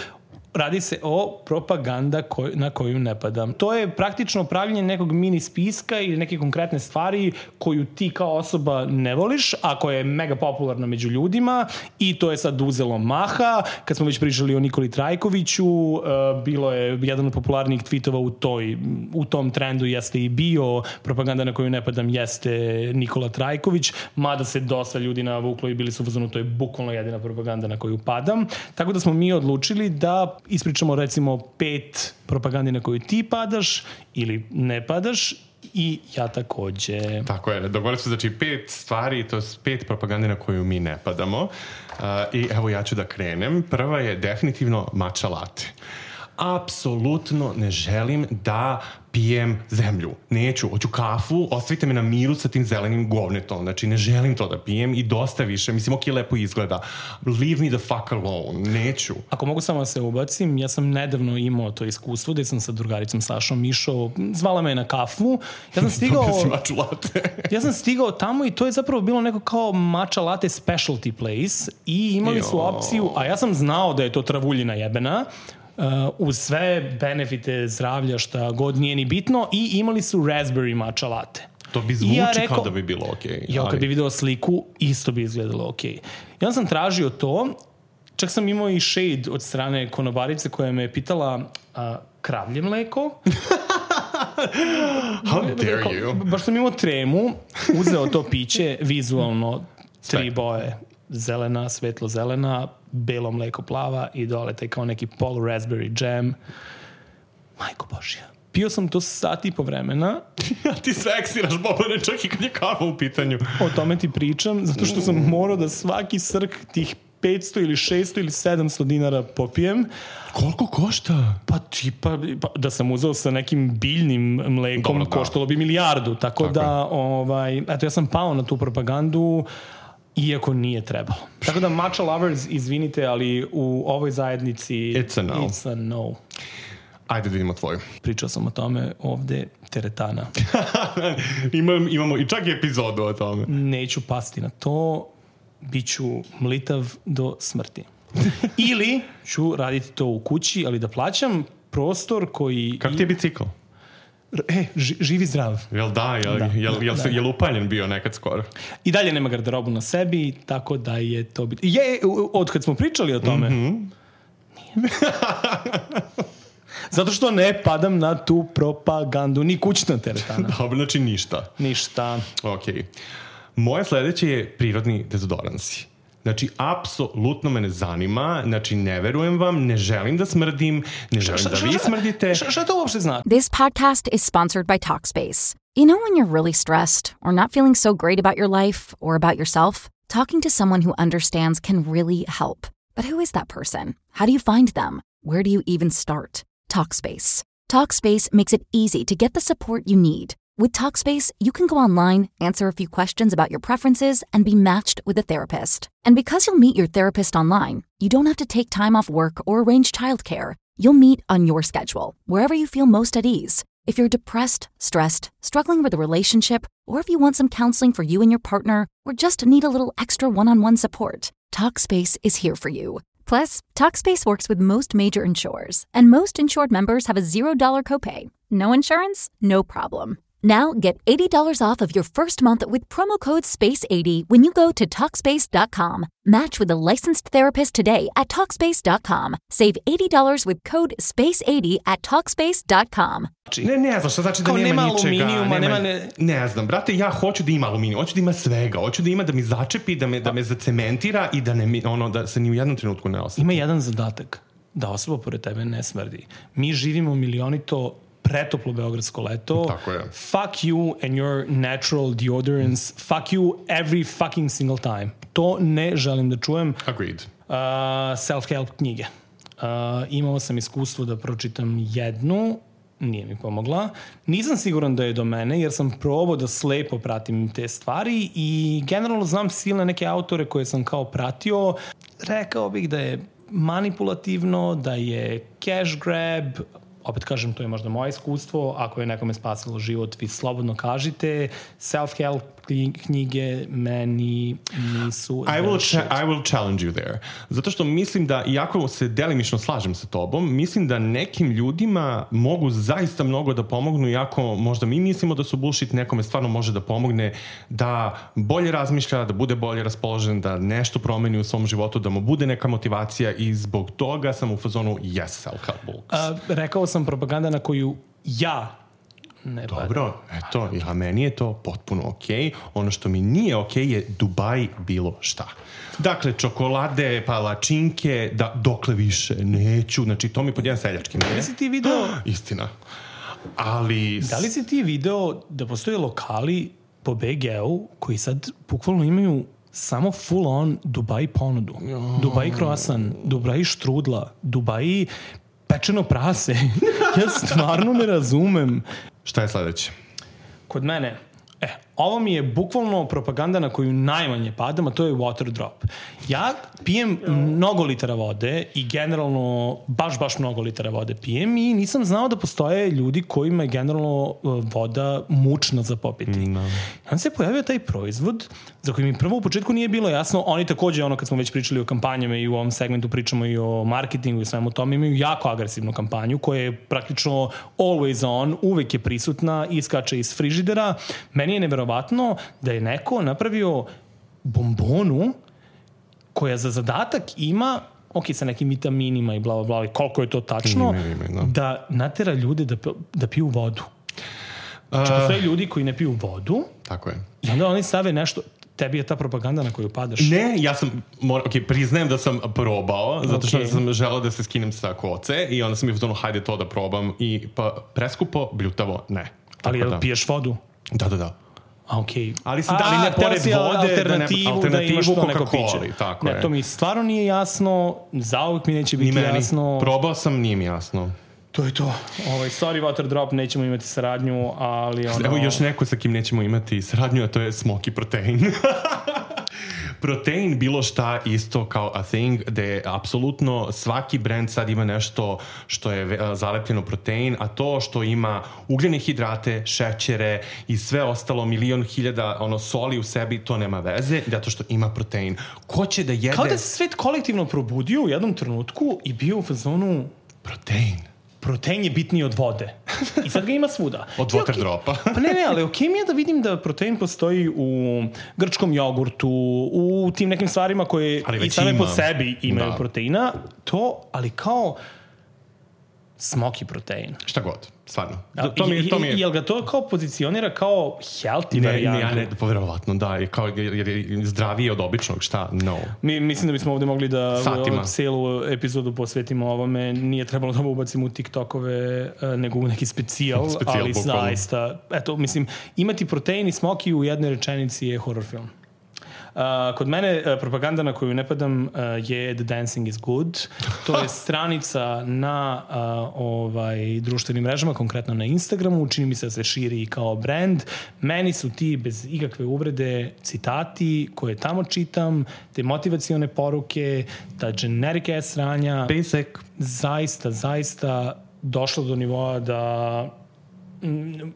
Radi se o propaganda koj, na koju ne padam. To je praktično pravljenje nekog mini spiska ili neke konkretne stvari koju ti kao osoba ne voliš, a koja je mega popularna među ljudima i to je sad uzelo maha. Kad smo već pričali o Nikoli Trajkoviću, uh, bilo je jedan od popularnijih tweetova u, toj, u tom trendu jeste i bio propaganda na koju ne padam jeste Nikola Trajković, mada se dosta ljudi navuklo i bili su uzmano, to je bukvalno jedina propaganda na koju padam. Tako da smo mi odlučili da ispričamo recimo pet propagandi na koju ti padaš ili ne padaš i ja takođe. Tako je, dogovorili su znači pet stvari, to je pet propagande na koju mi ne padamo. Uh, I evo ja ću da krenem. Prva je definitivno matcha latte. Apsolutno ne želim da pijem zemlju. Neću, hoću kafu, ostavite me na miru sa tim zelenim govnetom. Znači, ne želim to da pijem i dosta više. Mislim, ok, lepo izgleda. Leave me the fuck alone. Neću. Ako mogu samo da se ubacim, ja sam nedavno imao to iskustvo gde sam sa drugaricom Sašom išao, zvala me na kafu. Ja sam stigao... matcha latte. ja sam stigao tamo i to je zapravo bilo neko kao matcha latte specialty place i imali su opciju, a ja sam znao da je to travuljina jebena, Uh, uz sve benefite zdravlja šta god nije ni bitno i imali su raspberry matcha latte. To bi zvuči ja rekao, kao da bi bilo okej. Okay, ja kad bi video sliku, isto bi izgledalo okej. Okay. Ja sam tražio to, čak sam imao i shade od strane konobarice koja me je pitala uh, kravlje mleko. How dare you? Baš sam imao tremu, uzeo to piće, vizualno tri boje. Zelena, svetlo zelena, belo mleko plava i dole taj kao neki polu raspberry jam. Majko Božja. Pio sam to sat i po vremena. Ja ti seksiraš, Bobane, čak i kad je kava u pitanju. O tome ti pričam, zato što sam morao da svaki srk tih petsto ili šesto ili sedamsto dinara popijem. Koliko košta? Pa tipa, pa, da sam uzeo sa nekim biljnim mlekom, dobro, koštalo bi milijardu. Tako, tako da, je. ovaj, eto, ja sam pao na tu propagandu, iako nije trebalo. Tako da, matcha lovers, izvinite, ali u ovoj zajednici it's a no. It's a no. Ajde da vidimo tvoju. Pričao sam o tome ovde, teretana. Imam, imamo i čak i epizodu o tome. Neću pasti na to, bit ću mlitav do smrti. Ili ću raditi to u kući, ali da plaćam prostor koji... Kako ti je bicikl? E, živi zdrav. Jel da, jel, da, jel, jel, da, jel upaljen bio nekad skoro? I dalje nema garderobu na sebi, tako da je to... Bit... Je, od kad smo pričali o tome... Mm-hmm. Nije. Zato što ne padam na tu propagandu, ni kućna teretana. Dobro, znači ništa. Ništa. Okej. Okay. Moje sledeće je prirodni dezodoransi. Znači, apsolutno me ne zanima, znači ne verujem vam, ne želim da smrdim, ne želim da vi smrdite. Šta to uopšte znači? This podcast is sponsored by Talkspace. You know when you're really stressed or not feeling so great about your life or about yourself? Talking to someone who understands can really help. But who is that person? How do you find them? Where do you even start? Talkspace. Talkspace makes it easy to get the support you need. With Talkspace, you can go online, answer a few questions about your preferences, and be matched with a therapist. And because you'll meet your therapist online, you don't have to take time off work or arrange childcare. You'll meet on your schedule, wherever you feel most at ease. If you're depressed, stressed, struggling with a relationship, or if you want some counseling for you and your partner, or just need a little extra one-on-one support, Talkspace is here for you. Plus, Talkspace works with most major insurers, and most insured members have a zero dollar copay. No insurance? No problem. Now get eighty dollars off of your first month with promo code space eighty when you go to Talkspace dot com. Match with a licensed therapist today at Talkspace dot com. Save eighty dollars with code space eighty at Talkspace dot com. Ne, ne znam, što znači da kao nema, nema ničega. Nema, nema, ne... ne znam, brate, ja hoću da ima aluminijum, hoću da ima svega, hoću da ima da mi začepi, da me, da me zacementira i da, ne, ono, da se ni u jednom trenutku ne osjeti. Ima jedan zadatak, da osoba pored tebe ne smrdi. Mi živimo milionito pretoplo beogradsko leto. Tako je. Fuck you and your natural deodorants. Fuck you every fucking single time. To ne želim da čujem. Agreed. Uh, self-help knjige. Uh, imao sam iskustvo da pročitam jednu, nije mi pomogla. Nisam siguran da je do mene, jer sam probao da slepo pratim te stvari i generalno znam silne neke autore koje sam kao pratio. Rekao bih da je manipulativno, da je cash grab. Opet kažem, to je možda moje iskustvo. Ako je nekome spasilo život, vi slobodno kažite. Self-help knjige meni nisu... I will, cha- I will challenge you there. Zato što mislim da, iako se delimično slažem sa tobom, mislim da nekim ljudima mogu zaista mnogo da pomognu, iako možda mi mislimo da su bullshit, nekome stvarno može da pomogne da bolje razmišlja, da bude bolje raspoložen, da nešto promeni u svom životu, da mu bude neka motivacija i zbog toga sam u fazonu yes, self-help books. A, rekao sam propaganda na koju ja ne padam. Dobro, eto, ja, meni je to potpuno okej. Okay. Ono što mi nije okej okay je Dubai bilo šta. Dakle, čokolade, palačinke, da, dokle više, neću. Znači, to mi pod jedan seljački. Da li si ti video... Istina. Ali... Da li si ti video da postoje lokali po B G-u koji sad bukvalno imaju samo full on Dubai ponudu. Oh. Dubai croissant, Dubai štrudla, Dubai pečeno prase. Ja stvarno ne razumem. Šta je sledeće? Kod mene, e, ovo mi je bukvalno propaganda na koju najmanje padam, a to je water drop. Ja pijem mnogo litara vode i generalno baš, baš mnogo litara vode pijem i nisam znao da postoje ljudi kojima je generalno voda mučna za popiti. No. Onda se pojavio taj proizvod za koji mi prvo u početku nije bilo jasno. Oni takođe, ono kad smo već pričali o kampanjama i u ovom segmentu pričamo i o marketingu i svemu tome, imaju jako agresivnu kampanju koja je praktično always on, uvek je prisutna, iskače iz frižidera. Meni je neverovatno da je neko napravio bombonu koja za zadatak ima, ok, sa nekim vitaminima i bla, bla, bla, koliko je to tačno, ime, ime, no. da natera ljude da, da piju vodu. Znači, uh, postoje ljudi koji ne piju vodu. Tako je. I onda oni stave nešto, tebi je ta propaganda na koju padaš. Ne, ja sam, mora, ok, priznajem da sam probao, zato što okay. sam želao da se skinem sa koce i onda sam mi u tonu, hajde to da probam i pa preskupo, bljutavo, ne. Ali jel da. Piješ vodu? Da, da, da. A, okej. Okay. Ali sam da li ne pored vode alternativu, da, ne, alternativu da imaš to neko piće. Tako ne, je. to mi stvarno nije jasno, zauvek mi neće biti Ni meni. jasno. Probao sam, nije mi jasno. To je to. Ovaj, sorry, water drop, nećemo imati saradnju, ali ono... Evo još neko sa kim nećemo imati saradnju, a to je Smoky Protein. Protein, bilo šta isto kao a thing, gde apsolutno svaki brand sad ima nešto što je zalepljeno protein, a to što ima ugljene hidrate, šećere i sve ostalo, milion hiljada ono, soli u sebi, to nema veze, zato što ima protein. Ko će da jede... Kao da se svet kolektivno probudio u jednom trenutku i bio u fazonu... Protein. Protein je bitniji od vode. I sad ga ima svuda. Od water okay. dropa. Pa ne, ne, ali okej okay mi je da vidim da protein postoji u grčkom jogurtu, u tim nekim stvarima koje i same ima. Po sebi imaju da. Proteina. To, ali kao smoky protein. Šta god, stvarno. Da, to mi, to mi je... Jel ga to kao pozicionira kao healthy ne, varijantu? Ne, ne, povjerovatno, da. I kao, jer je zdravije od običnog, šta? No. Mi, mislim da bismo ovde mogli da celu epizodu posvetimo ovome. Nije trebalo da ubacimo u TikTokove, nego u neki specijal, specijal ali bukvalno. Zaista, eto, mislim, imati protein i smoky u jednoj rečenici je horror film. Uh, kod mene uh, propaganda na koju ne padam uh, je The Dancing is Good. To je stranica na uh, ovaj, društvenim mrežama, konkretno na Instagramu. Čini mi se da se širi kao brand. Meni su ti, bez ikakve uvrede, citati koje tamo čitam, te motivacione poruke, ta generic ass sranja. Basic. Zaista, zaista došlo do nivoa da... Mm,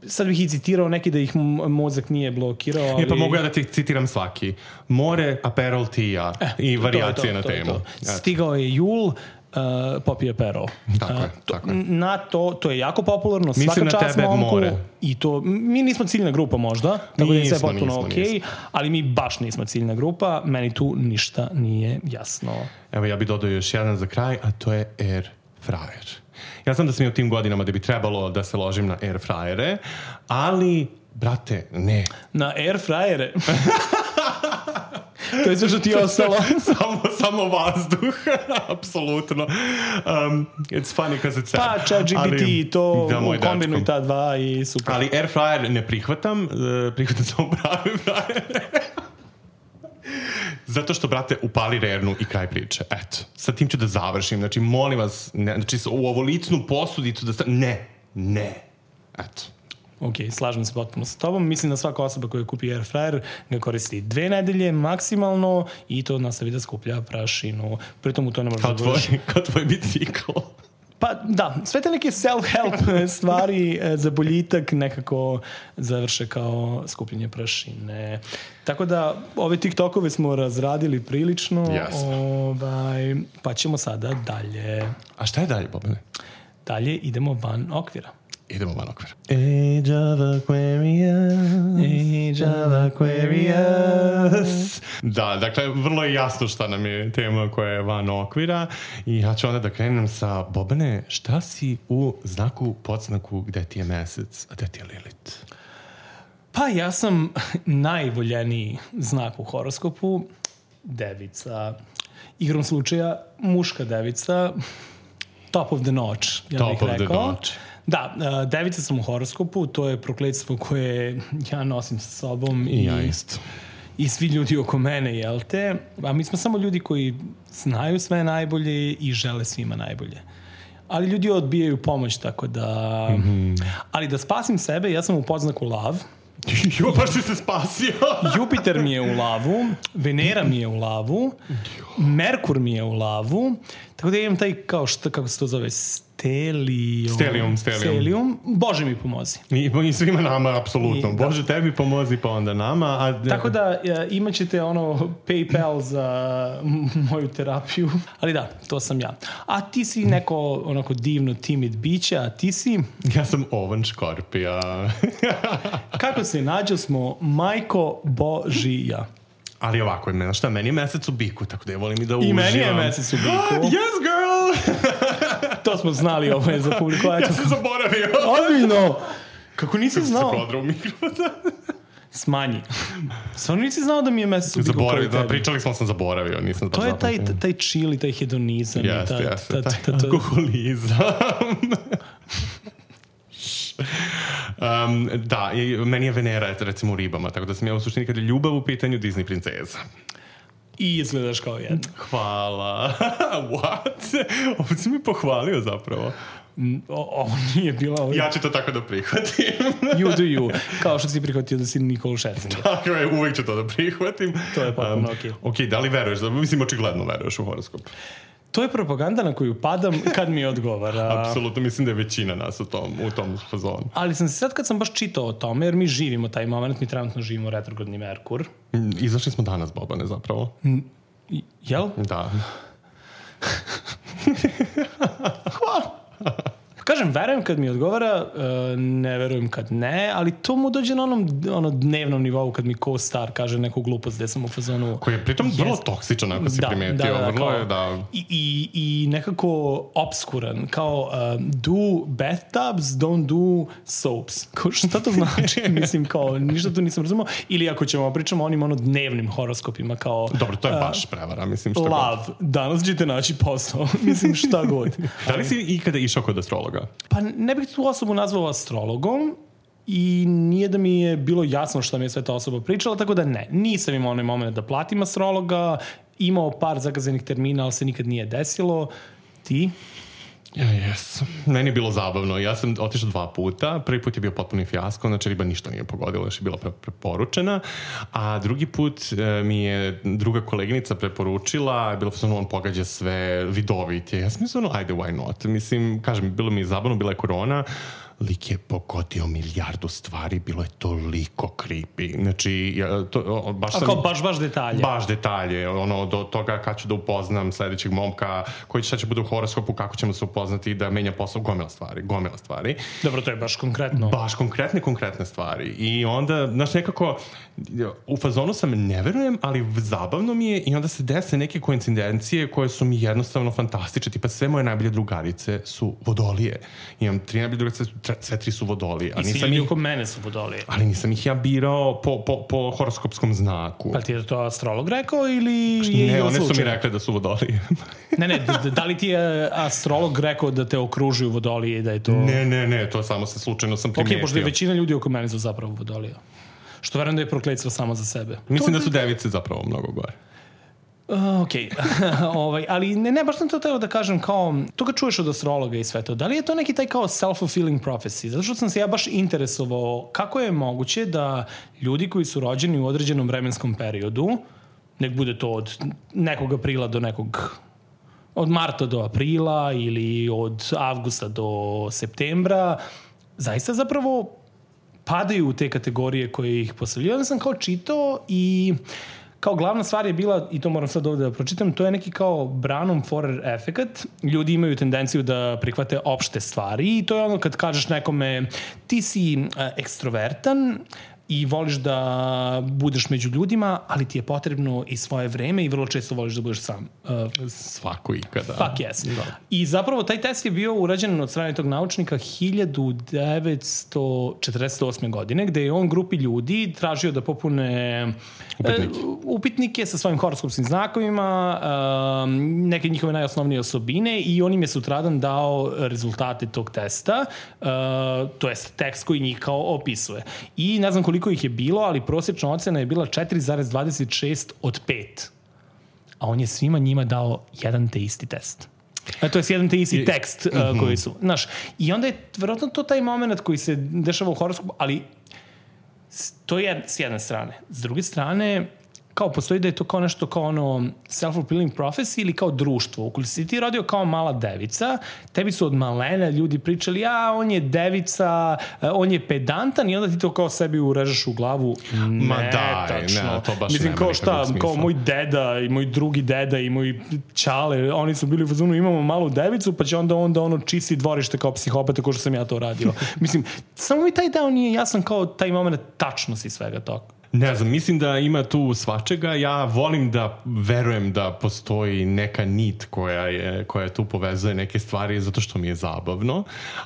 sad bih i citirao neki da ih mozak nije blokirao, ali... E, pa mogu ja da ti citiram svaki. More, Aperol, Tija eh, i variacije to, to, na temu. To, to. Stigao je jul, uh, popi Aperol. Tako je, to, tako je. Na to, to je jako popularno, mislim svaka čast momku. More. I to, mi nismo ciljna grupa možda, tako da je sve potpuno okej, okay, ali mi baš nismo ciljna grupa, meni tu ništa nije jasno. Evo, ja bih dodao još jedan za kraj, a to je air fryer. Ja znam da sam i u tim godinama da bi trebalo da se ložim na air fryere, ali, brate, ne. Na air fryere? To je sve što ti je ostalo. samo, samo vazduh, apsolutno. Um, it's funny because it's sad. Pa, chat G P T, to da, kombinuj ta dva i super. Ali air fryer ne prihvatam, uh, prihvatam samo pravi fryer. Zato što, brate, upali rernu i kraj priče. Eto, sa tim ću da završim. Znači, molim vas, ne, znači, u ovolicnu posudicu da... Sta... Ne, ne. Eto. Ok, slažem se potpuno sa tobom. Mislim da svaka osoba koja kupi air fryer ga koristi dve nedelje maksimalno i to nastavi da skuplja prašinu. Pritom u to ne može da vrši. Kao tvoj bicikl. Pa da, sve te neke self-help stvari za boljitak nekako završe kao skupljenje prašine. Tako da ove TikTokove smo razradili prilično, yes. ovaj, pa ćemo sada dalje. A šta je dalje, Bobane? Dalje idemo van okvira. Idemo van okvira. Age of Aquarius, Age of Aquarius. Da, dakle, vrlo je jasno šta nam je tema koja je van okvira i ja ću onda da krenem sa Bobane, šta si u znaku, podznaku, gde ti je mesec, a gde ti je Lilith? Pa ja sam najvoljeniji znak u horoskopu, devica. Igrom slučaja, muška devica, top of the notch, ja top bih rekao. Top of the notch. Da, devica sam u horoskopu, to je prokletstvo koje ja nosim sa sobom. I ja isto. I svi ljudi oko mene, jel te? A mi smo samo ljudi koji znaju sve najbolje i žele svima najbolje. Ali ljudi odbijaju pomoć, tako da... Mm-hmm. Ali da spasim sebe, ja sam u podznaku lav. Jo, baš si se spasio. Jupiter mi je u lavu, Venera mi je u lavu, Merkur mi je u lavu, tako da imam taj, kao šta, kako se to zove, stelijum. Stelijum, stelijum. Stelijum. Bože mi pomozi. I, i svima nama, apsolutno. I, Bože, tebi pomozi, pa onda nama. A... Tako da ja, imat ćete ono PayPal za moju terapiju. Ali da, to sam ja. A ti si neko onako divno timid biće, a ti si... Ja sam ovan škorpija. Kako se nađo smo Majko Božija. Ali ovako je, meni, šta, meni je mesec u biku, tako da ja volim i da uživam. I meni je mesec u biku. Yes, girl! To smo znali, ovo je za publiku. Ja sam zaboravio. Ozbiljno! Kako nisi Kako znao? Kako se kodrao mikrofon? Smanji. Stvarno nisi znao da mi je mesec u biku Zaboravio, da, pričali smo, sam zaboravio. Nisam to je taj, taj chill i taj hedonizam. Jeste, jeste. Taj alkoholizam. Um, da, i meni je Venera recimo u ribama, tako da sam ja u suštini kad je ljubav u pitanju Disney princeza. I izgledaš kao jedna. Hvala. What? Ovo si mi pohvalio zapravo. O, ovo nije bilo... Ovo... Ja ću to tako da prihvatim. You do you. Kao što si prihvatio da si Nikolu Šerzinger. Tako je, uvijek ću to da prihvatim. To je potpuno um, okej. Okay. Ok, da li veruješ? Mislim, očigledno veruješ u horoskop. To je propaganda na koju padam kad mi odgovara. Apsolutno, mislim da je većina nas u tom, u tom fazonu. Ali sam se sad kad sam baš čitao o tome, jer mi živimo taj moment, mi trenutno živimo retrogradni Merkur. Izašli smo danas, Bobane, zapravo. Mm, jel? Da. Hvala. Kažem, verujem kad mi odgovara, ne verujem kad ne, ali to mu dođe na onom ono dnevnom nivou kad mi co-star kaže neku glupost gde sam u fazonu... Koji je pritom vrlo toksičan, ako si da, primetio. Da, da, vrlo kao, je, da. I, i, i nekako obskuran, kao uh, do bathtubs, don't do soaps. Kao, šta to znači? Mislim, kao, ništa tu nisam razumao. Ili ako ćemo pričamo o onim ono dnevnim horoskopima, kao... Dobro, to je baš prevara, mislim, šta love, god. Danas ćete naći posao. Mislim, šta god. Da li si ikada išao kod astrologa? Pa ne bih tu osobu nazvao astrologom i nije da mi je bilo jasno šta mi je sve ta osoba pričala, tako da ne. Nisam imao onaj moment da platim astrologa, imao par zakazanih termina, ali se nikad nije desilo. Ti? Ja, jes. Meni je bilo zabavno. Ja sam otišao dva puta. Prvi put je bio potpuni fijasko, znači riba ništa nije pogodila, još je bila pre- preporučena. A drugi put e, mi je druga koleginica preporučila, bilo sam on pogađa sve vidovitije. Ja sam mislio, ajde, why not? Mislim, kažem, bilo mi je zabavno, bila je korona, lik je pogodio milijardu stvari, bilo je toliko creepy. Znači, ja, to, baš sam... A kao baš, baš detalje? Baš detalje. Ono, do toga kad ću da upoznam sledećeg momka, koji će, će bude u horoskopu, kako ćemo se upoznati da menja posao, gomila stvari, gomila stvari. Dobro, to je baš konkretno. Baš konkretne, konkretne stvari. I onda, znaš, nekako, u fazonu sam ne verujem, ali zabavno mi je i onda se dese neke koincidencije koje su mi jednostavno fantastične. Tipa, sve moje najbolje drugarice su vodolije. Imam tri najbolje drugarice, sve tri su vodolije. I svi ljudi oko mene su vodolije. Ali nisam ih ja birao po, po, po horoskopskom znaku. Pa ti je to astrolog rekao ili... Ne, one su mi rekli da su vodolije. ne, ne, da, da li ti je astrolog rekao da te okružuju vodolije i da je to... Ne, ne, ne, to samo se slučajno sam primetio. Ok, pošto je većina ljudi oko mene su zapravo vodolije. Što verujem da je prokletstvo samo za sebe. Mislim to... da su device zapravo mnogo gore. Uh, ok, ovaj, ali ne, ne, baš sam to teo da kažem kao, to ga čuješ od astrologa i sve to, da li je to neki taj kao self-fulfilling prophecy? Zato što sam se ja baš interesovao kako je moguće da ljudi koji su rođeni u određenom vremenskom periodu, nek bude to od nekog aprila do nekog od marta do aprila ili od avgusta do septembra, zaista zapravo padaju u te kategorije koje ih postavljaju. Onda sam kao čitao i kao glavna stvar je bila, i to moram sad ovde da pročitam, to je neki kao Branham Forer efekat. Ljudi imaju tendenciju da prihvate opšte stvari i to je ono kad kažeš nekome ti si uh, ekstrovertan i voliš da budeš među ljudima, ali ti je potrebno i svoje vreme i vrlo često voliš da budeš sam. Uh, Svako ikada. Fuck yes. Da. I zapravo taj test je bio urađen od strane tog naučnika hiljadu devetsto četrdeset osme. godine, gde je on grupi ljudi tražio da popune upitnike, uh, upitnike sa svojim horoskopskim znakovima, uh, neke njihove najosnovnije osobine i on im je sutradan dao rezultate tog testa, uh, to jest tekst koji njih kao opisuje. I ne znam koliko ih je bilo, ali prosječna ocena je bila četiri zarez dvadeset šest od pet. A on je svima njima dao jedan te isti test. A to je jedan te isti tekst uh, mm-hmm. koji su. Znaš, i onda je vjerojatno to taj moment koji se dešava u horoskopu, ali to je s jedne strane. S druge strane, kao postoji da je to kao nešto kao ono self-fulfilling prophecy ili kao društvo. Ukoliko si ti rodio kao mala devica, tebi su od malena ljudi pričali, a on je devica, on je pedantan i onda ti to kao sebi urežeš u glavu. Ma ne, daj, tačno. ne, to baš Mislim, nema kao šta, kao moj deda i moj drugi deda i moj čale, oni su bili u fazonu, imamo malu devicu, pa će onda onda ono čisti dvorište kao psihopata, kao što sam ja to radio. Mislim, samo mi taj deo nije jasan kao taj moment tačnosti svega toga. Ne znam, mislim da ima tu svačega. Ja volim da verujem da postoji neka nit koja je, koja tu povezuje neke stvari zato što mi je zabavno.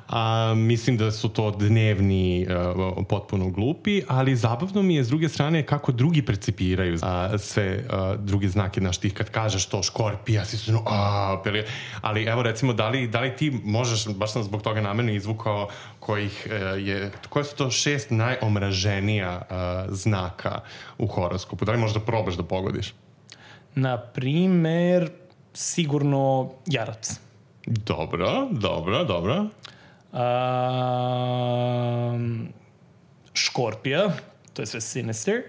A, mislim da su to dnevni uh, potpuno glupi, ali zabavno mi je s druge strane kako drugi percipiraju uh, sve uh, druge znake. Znaš, ti kad kažeš to Škorpija, si su a, ali evo recimo, da li, da li ti možeš, baš sam zbog toga namerno izvukao kojih uh, je, koje su to šest najomraženija uh, znaka u horoskopu. Da li možda probaš da pogodiš? Na primer, sigurno Jarac. Dobro, dobro, dobro. Um, Škorpija, to je sve Sinister.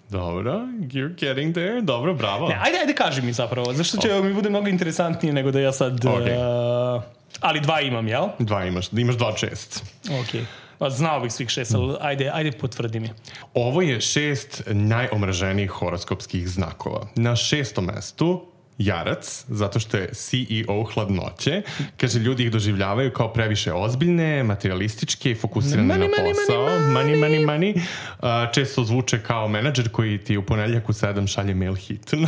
Dobro, you're getting there. Dobro, bravo. Ne, ajde, ajde kaži mi zapravo, zašto će okay. mi bude mnogo interesantnije nego da ja sad... Okay. Uh, ali dva imam, jel? Dva imaš, imaš dva čest. Okej. Okay. Znao bih svih šest, ali ajde, ajde potvrdi mi. Ovo je šest najomraženijih horoskopskih znakova. Na šestom mestu Jarac, zato što je C E O hladnoće. Kaže, ljudi ih doživljavaju kao previše ozbiljne, materialističke i fokusirane money, na posao. Money, money, money, money, money. Uh, često zvuče kao menadžer koji ti u ponedjeljak u sedam šalje mail hitno.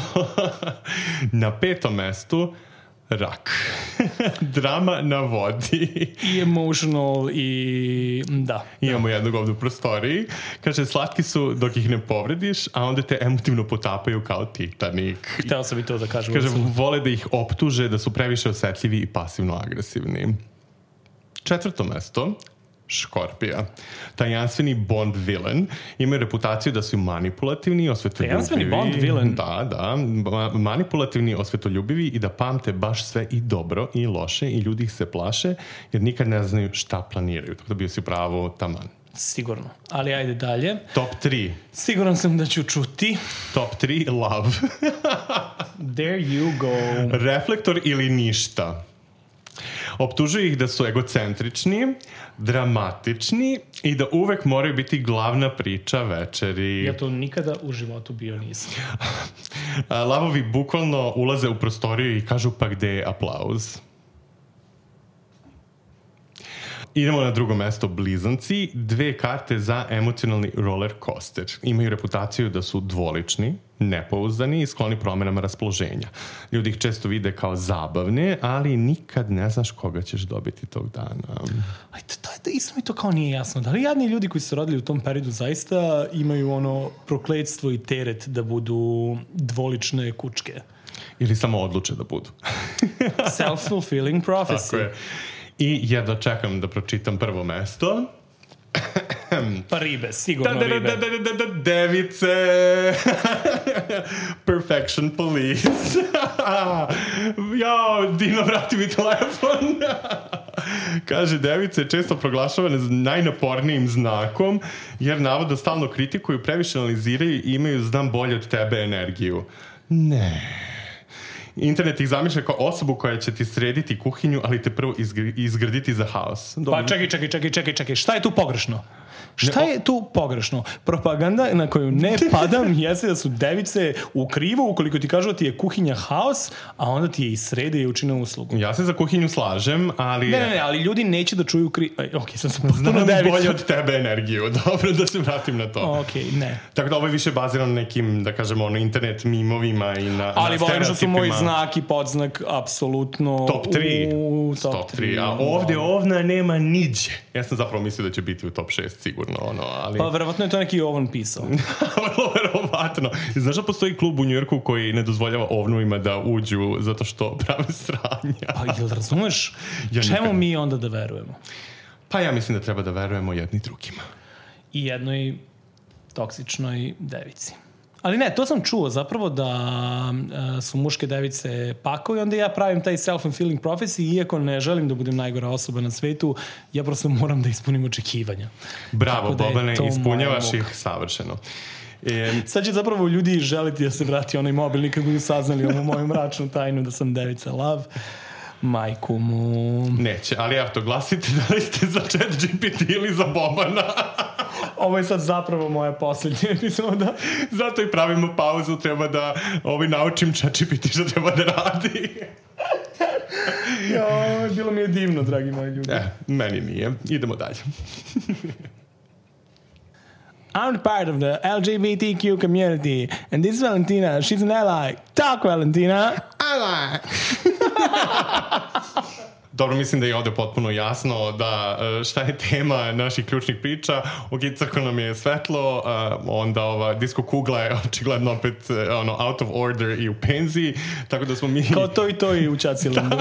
Na petom mestu Rak. Drama na vodi. I emotional i... Da. Imamo jednog ovdje u prostoriji. Kaže, slatki su dok ih ne povrediš, a onda te emotivno potapaju kao Titanic. Hteo sam i to da kažem. Kaže, vole da ih optuže, da su previše osetljivi i pasivno agresivni. Četvrto mesto, Škorpija. Tajanstveni Bond villain. Imaju reputaciju da su manipulativni, osvetoljubivi. Tajanstveni Bond villain? Da, da. Manipulativni, osvetoljubivi i da pamte baš sve i dobro i loše i ljudi ih se plaše jer nikad ne znaju šta planiraju. Tako da bio si pravo taman. Sigurno. Ali ajde dalje. Top tri. Siguran sam da ću čuti. Top tri, love. There you go. Reflektor ili ništa. Optužuju ih da su egocentrični, dramatični i da uvek moraju biti glavna priča večeri. Ja to nikada u životu bio nisam. Lavovi bukvalno ulaze u prostoriju i kažu pa gde je aplauz. Idemo na drugo mesto, blizanci. Dve karte za emocionalni roller coaster. Imaju reputaciju da su dvolični, nepouzdani i skloni promenama raspoloženja. Ljudi ih često vide kao zabavne, ali nikad ne znaš koga ćeš dobiti tog dana. Aj, da, da, isto mi to kao nije jasno. Da li jadni ljudi koji su rodili u tom periodu zaista imaju ono prokletstvo i teret da budu dvolične kučke? Ili samo odluče da budu. Self-fulfilling prophecy. Tako je. I jedno čekam da pročitam prvo mesto. Pa ribe, sigurno da, da, ribe. Da, da, da, da, da, device. Perfection police. Jao, Dino, vrati mi telefon. Kaže, device je često proglašavane najnapornijim znakom, jer navodno stalno kritikuju, previše analiziraju i imaju znam bolje od tebe energiju. Ne. internet ih zamišlja kao osobu koja će ti srediti kuhinju, ali te prvo izgraditi za haos. Dobro. Pa čekaj, čekaj, čekaj, čekaj, čekaj, šta je tu pogrešno? Šta je tu pogrešno? Propaganda na koju ne padam jeste da su device u krivu ukoliko ti kažu da ti je kuhinja haos, a onda ti je i srede i učine uslugu. Ja se za kuhinju slažem, ali... Ne, ne, ne, ali ljudi neće da čuju krivu... Ok, sam se potpuno Znam devica. bolje od tebe energiju. Dobro, da se vratim na to. Ok, ne. Tako da ovo je više bazirano na nekim, da kažemo, ono, internet mimovima i na, ali na volim što su moji znak i podznak apsolutno... Top tri. U, top, top tri. A ovdje ovna nema niđe. Ja sam zapravo mislio da će biti u top šest sigurno. Ono, ali... Pa verovatno je to neki ovn pisao. Vrlo verovatno. Znaš da postoji klub u Njujorku koji ne dozvoljava ovnovima da uđu zato što prave sranja? Pa jel razumeš? Ja čemu nikad... mi onda da verujemo? Pa ja mislim da treba da verujemo jedni drugima. I jednoj toksičnoj devici. Ali ne, to sam čuo zapravo da uh, su muške device pakao i onda ja pravim taj self-fulfilling prophecy, iako ne želim da budem najgora osoba na svetu, ja prosto moram da ispunim očekivanja. Bravo, Bobane, ispunjavaš ih savršeno. E... Sad će zapravo ljudi želiti da se vrati onaj mobilni kad budu saznali ovu moju mračnu tajnu da sam devica love. Majku mu... Neće, ali ja to glasite da li ste za Chat G P T ili za Bobana. Ovo je sad zapravo moja posljednja epizoda. Zato i pravimo pauzu, treba da ovaj naučim Chat G P T što treba da radi. Jo, bilo mi je divno, dragi moji ljudi. Eh, meni nije. Idemo dalje. I'm part of the L G B T Q community and this is Valentina. She's an ally. Talk, Valentina. Ally. Dobro, mislim da je ovdje potpuno jasno da šta je tema naših ključnih priča. Ok, crko nam je svetlo, onda ova disco kugla je očigledno opet ono, out of order i u penziji, tako da smo mi... Kao to i to i u Čacilandu.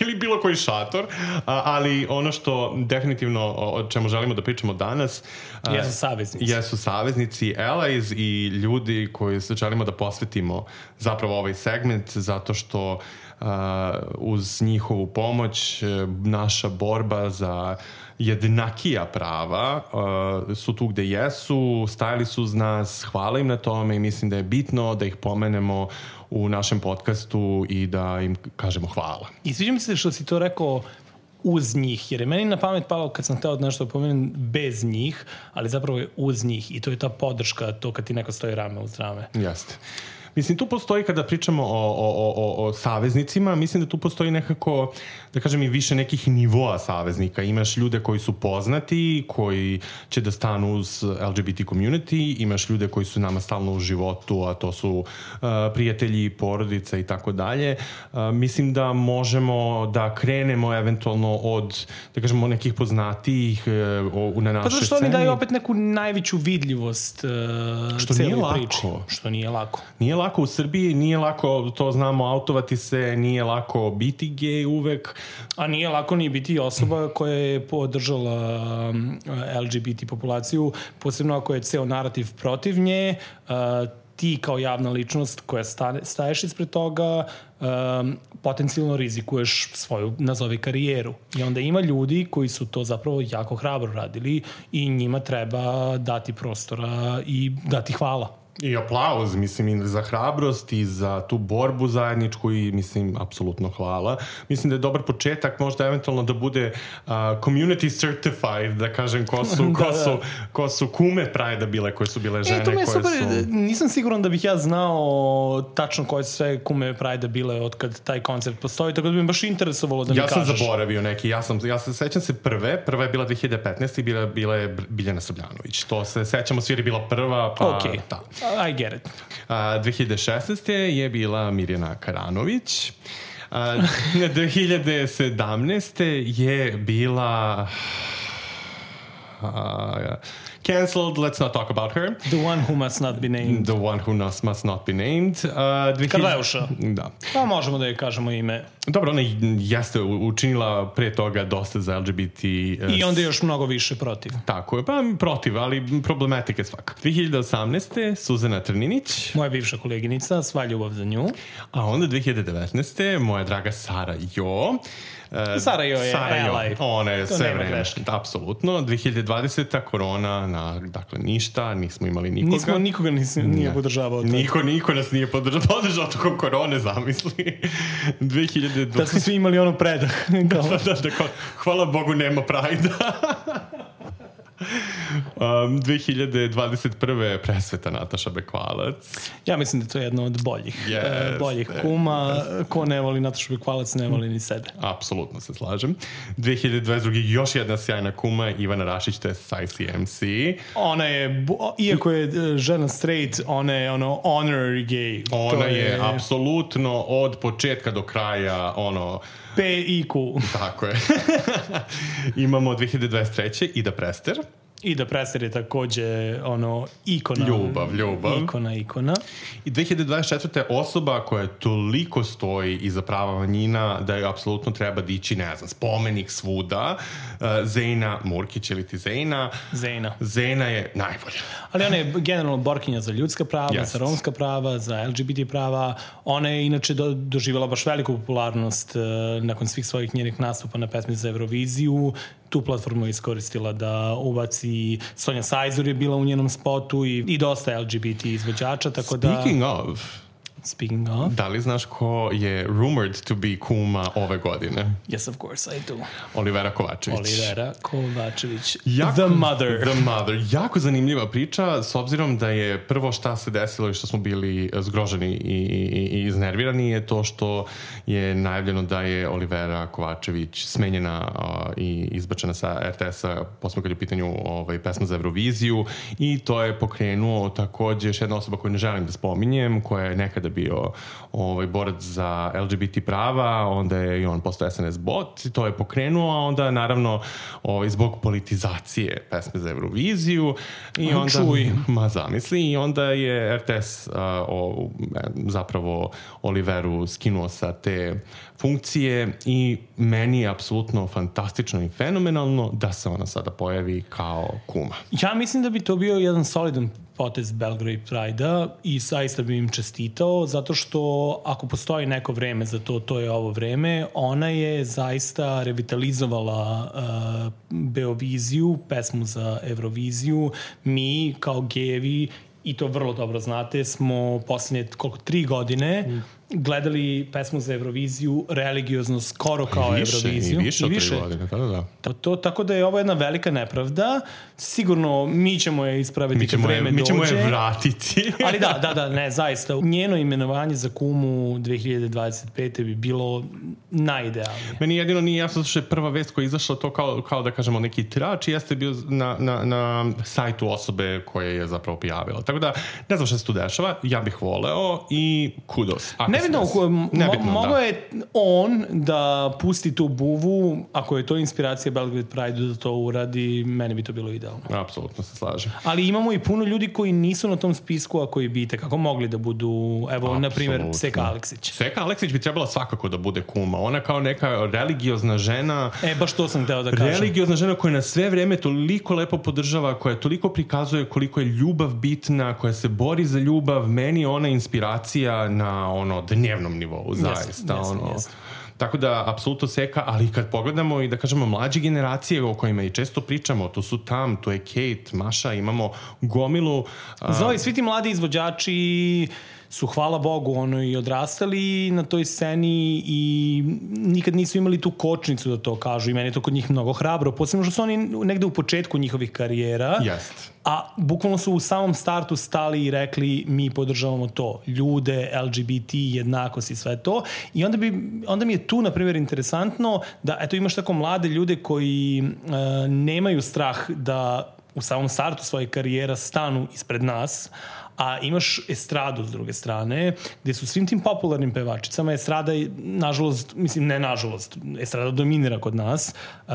Ili bilo koji šator, ali ono što definitivno o čemu želimo da pričamo danas jesu saveznici. Jesu saveznici, allies i ljudi koji se želimo da posvetimo zapravo ovaj segment zato što uh, uz njihovu pomoć naša borba za jednakija prava uh, su tu gde jesu, stajali su uz nas, hvala im na tome i mislim da je bitno da ih pomenemo u našem podcastu i da im kažemo hvala. I sviđa mi se što si to rekao uz njih, jer je meni na pamet palo kad sam hteo nešto da pomenem bez njih, ali zapravo je uz njih i to je ta podrška, to kad ti neko stoji rame uz rame. Jeste. Mislim, tu postoji, kada pričamo o, o, o, o saveznicima, mislim da tu postoji nekako, da kažem, i više nekih nivoa saveznika. Imaš ljude koji su poznati, koji će da stanu uz L G B T community, imaš ljude koji su nama stalno u životu, a to su uh, prijatelji, porodica i tako dalje. Mislim da možemo da krenemo eventualno od, da kažemo, nekih poznatijih uh, na našoj sceni. Pa zašto oni daju opet neku najveću vidljivost uh, što nije lako. Priči. Što nije lako. Nije lako u Srbiji, nije lako, to znamo, autovati se, nije lako biti gej uvek. A nije lako ni biti osoba koja je podržala L G B T populaciju, posebno ako je ceo narativ protiv nje, ti kao javna ličnost koja staješ ispred toga, um, potencijalno rizikuješ svoju, nazovi, karijeru. I onda ima ljudi koji su to zapravo jako hrabro radili i njima treba dati prostora i dati hvala. I aplauz, mislim, i za hrabrost i za tu borbu zajedničku i, mislim, apsolutno hvala. Mislim da je dobar početak, možda eventualno da bude uh, community certified, da kažem, ko su, da, ko su, ko su kume Pride-a bile, koje su bile žene. E, to me je super, su... nisam siguran da bih ja znao tačno koje su sve kume Pride-a bile od kad taj koncept postoji, tako da bi me baš interesovalo da mi ja kažeš. Ja sam zaboravio neki, ja sam, ja se sećam se prve, prva je bila dve hiljade petnaeste i bila, bila je Biljana Srbljanović. To se sećamo, svi je bila prva, pa... Okay. Da. I get it. Uh, dve hiljade šesnaeste je bila Mirjana Karanović. Uh, dve hiljade sedamnaeste je bila... Uh, cancelled, let's not talk about her. The one who must not be named. The one who must, must not be named. Uh, Karleuša. Da. Pa možemo da je kažemo ime. Dobro, ona jeste učinila pre toga dosta za L G B T. Uh, I onda još mnogo više protiv. Tako je, pa protiv, ali problematike svaka. dve hiljade osamnaeste Suzana Trninić. Moja bivša koleginica, sva ljubav za nju. A onda dve hiljade devetnaeste moja draga Sara Jo. Uh, Sara Jo je Sara ally. Jo. Ona je to sve vreme. Apsolutno. dve hiljade dvadesete korona na, dakle, ništa, nismo imali nikoga. Nismo, nikoga nis, nije podržavao. Niko, niko nas nije podržavao, podržao tokom korone, zamisli. dve hiljade dvadeset Da su svi imali ono predah. da, da, da, da, hvala Bogu nema Prajda. Um, dve hiljade dvadeset prve presveta Nataša Bekvalac. Ja mislim da to je jedno od boljih, yes, uh, boljih kuma. Yes. Ko ne voli Natašu Bekvalac, ne voli ni sebe. Apsolutno se slažem. dve hiljade dvadeset druge još jedna sjajna kuma, Ivana Rašić, to je Sajsi em si. Ona je, iako je žena straight, ona je ono honorary gay. Ona je, je apsolutno od početka do kraja ono... P I Q. Tako je. Imamo dve hiljade dvadeset treće Ida Prester. Ida Prester je takođe ono ikona. Ljubav, ljubav. Ikona, ikona. I dve hiljade dvadeset četvrte osoba koja toliko stoji iza prava manjina da je apsolutno treba dići, ne znam, spomenik svuda. Uh, Zejna Murkić ili ti Zejna. Zejna. Zejna je najbolja. Ali ona je generalno borkinja za ljudska prava, yes. za romska prava, za L G B T prava. Ona je inače do, doživjela baš veliku popularnost uh, nakon svih svojih njenih nastupa na pesmi za Euroviziju. Tu platformu je iskoristila da ubaci, Sonja Sajzur je bila u njenom spotu i, i dosta L G B T izvođača, tako da... Speaking of... Speaking of... Da li znaš ko je rumored to be kuma ove godine? Yes, of course, I do. Olivera Kovačević. Olivera Kovačević. Jako, the mother. The mother. Jako zanimljiva priča, s obzirom da je prvo šta se desilo i što smo bili zgroženi i, i, i iznervirani je to što je najavljeno da je Olivera Kovačević smenjena uh, i izbačena sa R T S-a, posebno kad je u pitanju ovaj, pesma za Euroviziju, i to je pokrenuo takođe još jedna osoba koju ne želim da spominjem, koja je nekada bio ovaj, borac za L G B T prava, onda je i on postao S N S bot i to je pokrenuo, a onda naravno ovaj, zbog politizacije pesme za Euroviziju i onda, čuj. ma zamisli, i onda je R T S uh, o, zapravo Oliveru skinuo sa te funkcije i meni je apsolutno fantastično i fenomenalno da se ona sada pojavi kao kuma. Ja mislim da bi to bio jedan solidan potez Belgrade Pride-a i zaista bi im čestitao, zato što ako postoji neko vreme za to, to je ovo vreme. Ona je zaista revitalizovala uh, Beoviziju, pesmu za Euroviziju. Mi kao gejevi, i to vrlo dobro znate, smo posljednje koliko, tri godine mm. gledali pesmu za Euroviziju religiozno skoro kao I više, Euroviziju. I više od tri godine, da, da. To, to, tako da je ovo jedna velika nepravda. Sigurno mi ćemo je ispraviti mi ćemo kad vreme je, mi ćemo dođe. je vratiti. Ali da, da, da, ne, zaista. Njeno imenovanje za kumu dve hiljade dvadeset pete bi bilo najidealnije. Meni jedino nije jasno što je prva vest koja je izašla to kao, kao da kažemo neki trač i jeste bio na, na, na sajtu osobe koje je zapravo prijavila. Tako da, ne znam što se tu dešava, ja bih voleo i kudos. Nebitno, mo- mogo je on da pusti tu buvu, ako je to inspiracija Belgrade Pride da to uradi, meni bi to bilo idealno. Apsolutno se slažem. Ali imamo i puno ljudi koji nisu na tom spisku, a koji bi te kako mogli da budu, evo, na primjer, Seka Aleksić. Seka Aleksić bi trebala svakako da bude kuma. Ona kao neka religiozna žena. E, baš to sam hteo da kažem. Religiozna žena koja na sve vreme toliko lepo podržava, koja toliko prikazuje koliko je ljubav bitna, koja se bori za ljubav. Meni je ona inspiracija na ono dnevnom nivou, zaista. Yes, yes, ono. Yes. Tako da, apsolutno Seka, ali kad pogledamo i da kažemo mlađe generacije o kojima i često pričamo, tu su Tam, tu je Kate, Maša, imamo gomilu. Zoe, svi ti mladi izvođači su, hvala Bogu, ono, i odrastali na toj sceni i nikad nisu imali tu kočnicu da to kažu i meni je to kod njih mnogo hrabro, posebno što su oni negde u početku njihovih karijera. Jest. A bukvalno su u samom startu stali i rekli mi podržavamo to, ljude, L G B T, jednakost i sve to. I onda, bi, onda mi je tu, na primjer, interesantno da, eto, imaš tako mlade ljude koji uh, nemaju strah da u samom startu svoje karijera stanu ispred nas, a imaš estradu s druge strane, gde su svim tim popularnim pevačicama, estrada, nažalost, mislim, ne nažalost, estrada dominira kod nas, uh,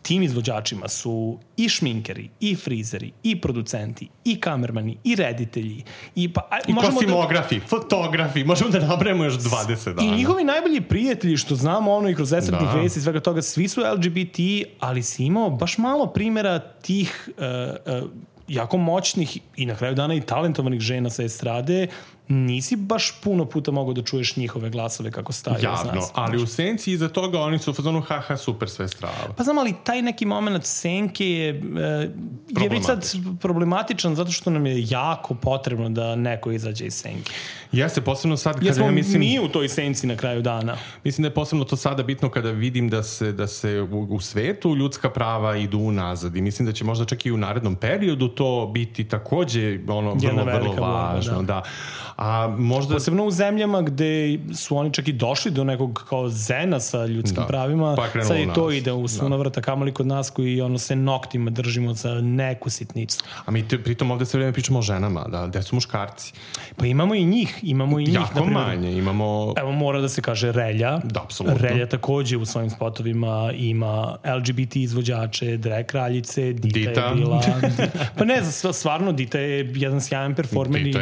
tim izvođačima su i šminkeri, i frizeri, i producenti, i kamermani, i reditelji. I, pa, I kostimografi, da, fotografi, možemo da nabrajemo još dvadeset dana. I njihovi najbolji prijatelji, što znamo ono i kroz esretnih da. vesti i svega toga, svi su L G B T, ali si imao baš malo primjera tih uh, uh, jako moćnih i na kraju dana i talentovanih žena sa estrade nisi baš puno puta mogao da čuješ njihove glasove kako staju. Javno, znaš, ali u senci iza toga oni su u fazonu haha super sve strava. Pa znam, ali taj neki moment senke je, je već sad problematičan zato što nam je jako potrebno da neko izađe iz senke. Jeste, posebno sad kada Jesmo ja mislim... mi u toj senci na kraju dana. Mislim da je posebno to sada bitno kada vidim da se, da se u, u svetu ljudska prava idu unazad i mislim da će možda čak i u narednom periodu to biti takođe ono, vrlo, vrlo važno. Borba, da. Da. A možda... Posebno u zemljama gde su oni čak i došli do nekog kao zena sa ljudskim da. pravima, pa sad i to ide u sunovrata kamoli kod nas koji ono se noktima držimo za neku sitnicu. A mi te, pritom ovde sve vreme pričamo o ženama, da, gde su muškarci. Pa imamo i njih, imamo i njih. Jako naprimjer, manje, imamo... Evo mora da se kaže Relja. Da, apsolutno. Relja takođe u svojim spotovima ima L G B T izvođače, drag kraljice, Dita, Dita. je bila... Pa ne, stvarno Dita je jedan sjajan performer i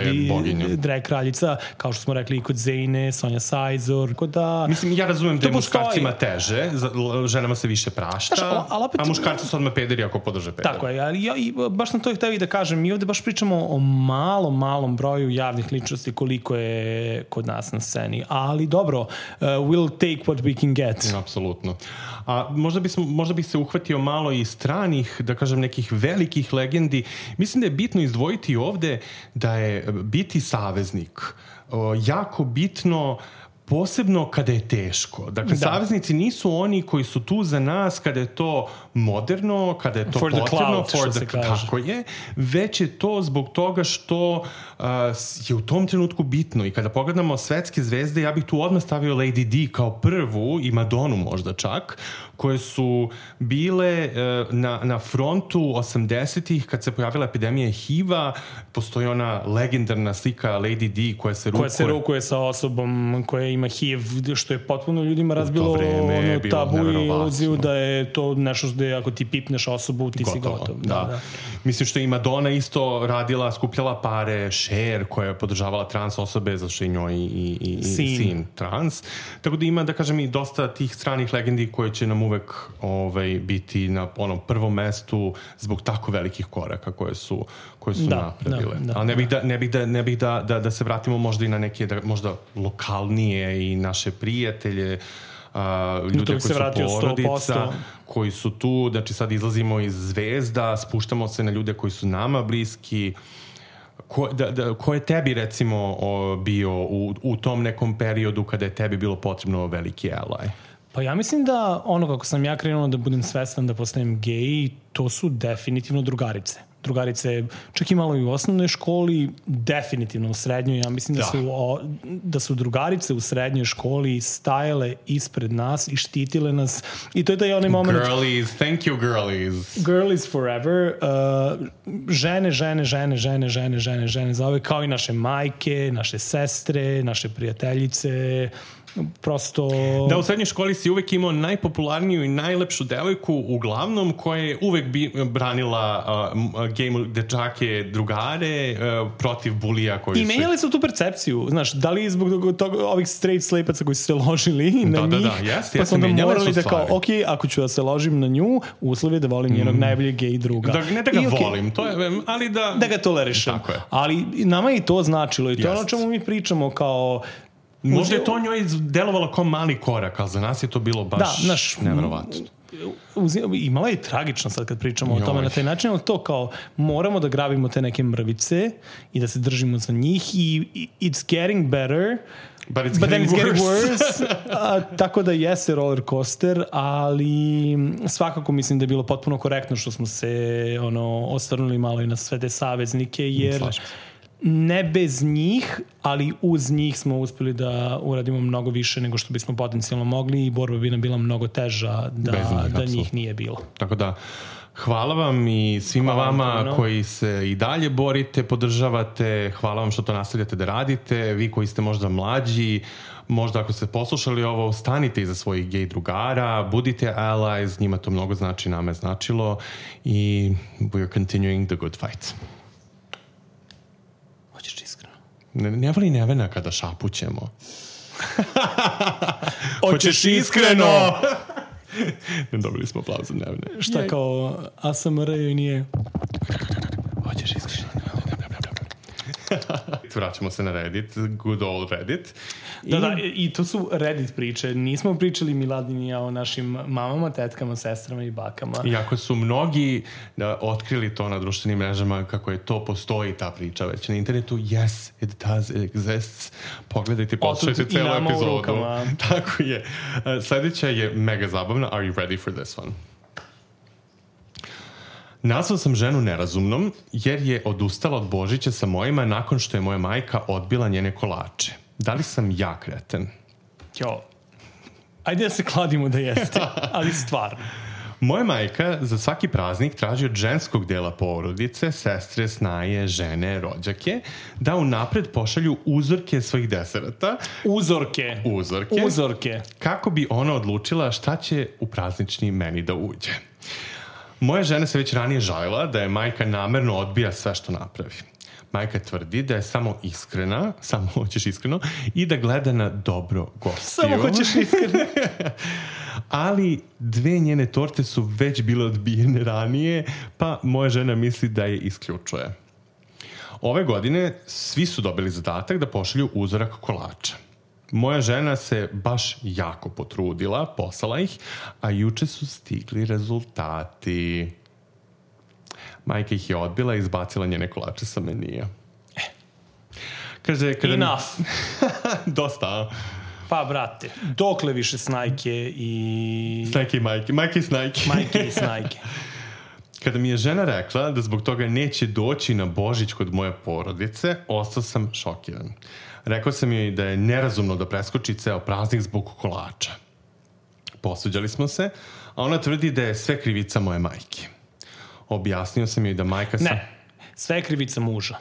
drag kraljica, kao što smo rekli i kod Zejne, Sonja Sajzor, kod da... Mislim, ja razumem da je muškarcima teže, ženama se više prašta, Znaš, ali opet, a muškarci su odmah pederi ako podrže pederi. Tako je, ali ja i baš sam to hteo i da kažem, mi ovde baš pričamo o malom, malom broju javnih ličnosti koliko je kod nas na sceni, ali dobro, uh, we'll take what we can get. Apsolutno. A možda, bismo, možda bih se uhvatio malo i stranih, da kažem, nekih velikih legendi. Mislim da je bitno izdvojiti ovde da je biti saveznik jako bitno, posebno kada je teško. Dakle, da. saveznici nisu oni koji su tu za nas kada je to moderno, kada je to for potrebno, the cloud, for the, tako je, već je to zbog toga što uh, je u tom trenutku bitno. I kada pogledamo svetske zvezde, ja bih tu odmah stavio Lady D kao prvu i Madonu možda čak, koje su bile uh, na, na frontu osamdesetih kad se pojavila epidemija H I V-a. Postoji ona legendarna slika Lady D koja se rukuje. Koja se rukuje sa osobom koja ima H I V, što je potpuno ljudima razbilo ono tabu i iluziju da je to nešto da je ako ti pipneš osobu, ti gotovo, si gotov. Da. Da, da. Mislim što je i Madonna isto radila, skupljala pare, Cher koja je podržavala trans osobe, zato što je njoj i, i, i sin. sin trans. Tako da ima, da kažem, i dosta tih stranih legendi koje će nam uvek ovaj, biti na onom prvom mestu zbog tako velikih koraka koje su, koje su da, napravile. Da, da, Ali ne bih, da, ne bih, da, ne bih da, da, da se vratimo možda i na neke da, možda lokalnije i naše prijatelje, Uh, ljude koji su porodica, koji su tu, znači sad izlazimo iz zvezda, spuštamo se na ljude koji su nama bliski. Ko, da, da, ko je tebi recimo o, bio u, u tom nekom periodu kada je tebi bilo potrebno veliki ally? Pa ja mislim da ono kako sam ja krenuo da budem svestan da postanem gej, to su definitivno drugarice. Drugarice, čak i malo i u osnovnoj školi, definitivno u srednjoj. Ja mislim da, da. Su, o, da su drugarice u srednjoj školi stajale ispred nas i štitile nas. I to je taj onaj moment... Girlies, thank you girlies. Girlies forever. Uh, žene, žene, žene, žene, žene, žene, žene, za ove, kao i naše majke, naše sestre, naše prijateljice... Prosto... Da, u srednjoj školi si uvek imao najpopularniju i najlepšu devojku, uglavnom, koja je uvek bi branila uh, gej dečake drugare uh, protiv bulija koji I menjali su tu percepciju, znaš, da li zbog toga ovih straight sleepaca koji su se ložili na da, njih, da, da, jest, pa smo onda morali da kao, ok, ako ću da se ložim na nju, uslov je da volim njenog mm. najboljeg gej druga. Da, ne da ga I, okay, volim, to je, ali da... Da ga tolerišem. Tako je. Ali nama je i to značilo i to je ono čemu mi pričamo kao... Možda je to njoj delovalo kao mali korak, ali za nas je to bilo baš da, naš, neverovatno. Imala je tragično sad kad pričamo Joj. o tome na taj način, ali to kao moramo da grabimo te neke mrvice i da se držimo za njih i it's getting better, but it's but getting, it's worse. getting worse. A, tako da jeste roller coaster, ali svakako mislim da je bilo potpuno korektno što smo se ono osvrnuli malo i na sve te saveznike, jer Slažem. ne bez njih, ali uz njih smo uspeli da uradimo mnogo više nego što bismo potencijalno mogli i borba bi nam bila mnogo teža da njih, da njih nije bilo. Tako da, hvala vam i svima hvala vama no. koji se i dalje borite, podržavate, hvala vam što to nastavljate da radite, vi koji ste možda mlađi, možda ako ste poslušali ovo, stanite iza svojih gej drugara, budite allies, njima to mnogo znači, nama je značilo i we're continuing the good fight. Ne, ne voli Nevena kada šapućemo. Hoćeš iskreno? Ne dobili smo aplauz za Nevene. Šta kao A S M R i nije? Hoćeš iskreno? Reddit, vraćamo se na Reddit, good old Reddit. I... Da, da, i to su Reddit priče. Nismo pričali Miladin i ja o našim mamama, tetkama, sestrama i bakama. Iako su mnogi da, otkrili to na društvenim mrežama, kako je to postoji ta priča već na internetu, yes, it does, it exists. Pogledajte, poslušajte celu epizodu. Tako je. Sljedeća je mega zabavna. Are you ready for this one? Nazvao sam ženu nerazumnom jer je odustala od Božića sa mojima nakon što je moja majka odbila njene kolače. Da li sam ja kreten? Jo, ajde da se kladimo da jeste, ali stvarno. Moja majka za svaki praznik traži od ženskog dela porodice, sestre, snaje, žene, rođake, da unapred pošalju uzorke svojih deserata. Uzorke. Uzorke. Uzorke. Kako bi ona odlučila šta će u praznični meni da uđe. Moja žena se već ranije žalila da je majka namerno odbija sve što napravi. Majka tvrdi da je samo iskrena, samo hoćeš iskreno, i da gleda na dobro gostiju. Samo hoćeš iskreno. Ali dve njene torte su već bile odbijene ranije, pa moja žena misli da je isključuje. Ove godine svi su dobili zadatak da pošalju uzorak kolača. Moja žena se baš jako potrudila, poslala ih, a juče su stigli rezultati. Majka ih je odbila i izbacila njene kolače sa menija. Kaže, kada... Enough. Dosta. Pa, brate, dokle više snajke i... Snajke i majke. Majke i snajke. Majke i snajke. Kada mi je žena rekla da zbog toga neće doći na Božić kod moje porodice, ostao sam šokiran. Rekao sam joj da je nerazumno da preskoči ceo praznik zbog kolača. Posuđali smo se, a ona tvrdi da je sve krivica moje majke. Objasnio sam joj da majka... Sa... Ne, sve je krivica muža.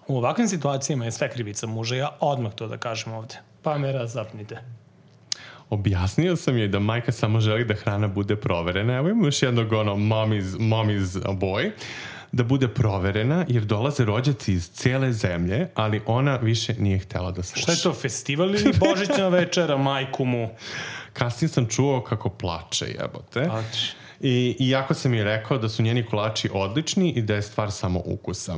U ovakvim situacijama je sve krivica muža. Ja odmah to da kažem ovde. Pa me razapnite. Objasnio sam joj da majka samo želi da hrana bude proverena. Evo imamo još jednog ono mommy's, mommy's boy. Da bude proverena jer dolaze rođaci iz cijele zemlje, ali ona više nije htjela da sluša. Šta je to, festival ili božićna večera, majku mu? Kasnije sam čuo kako plače, jebote. I, iako sam joj rekao da su njeni kolači odlični i da je stvar samo ukusa.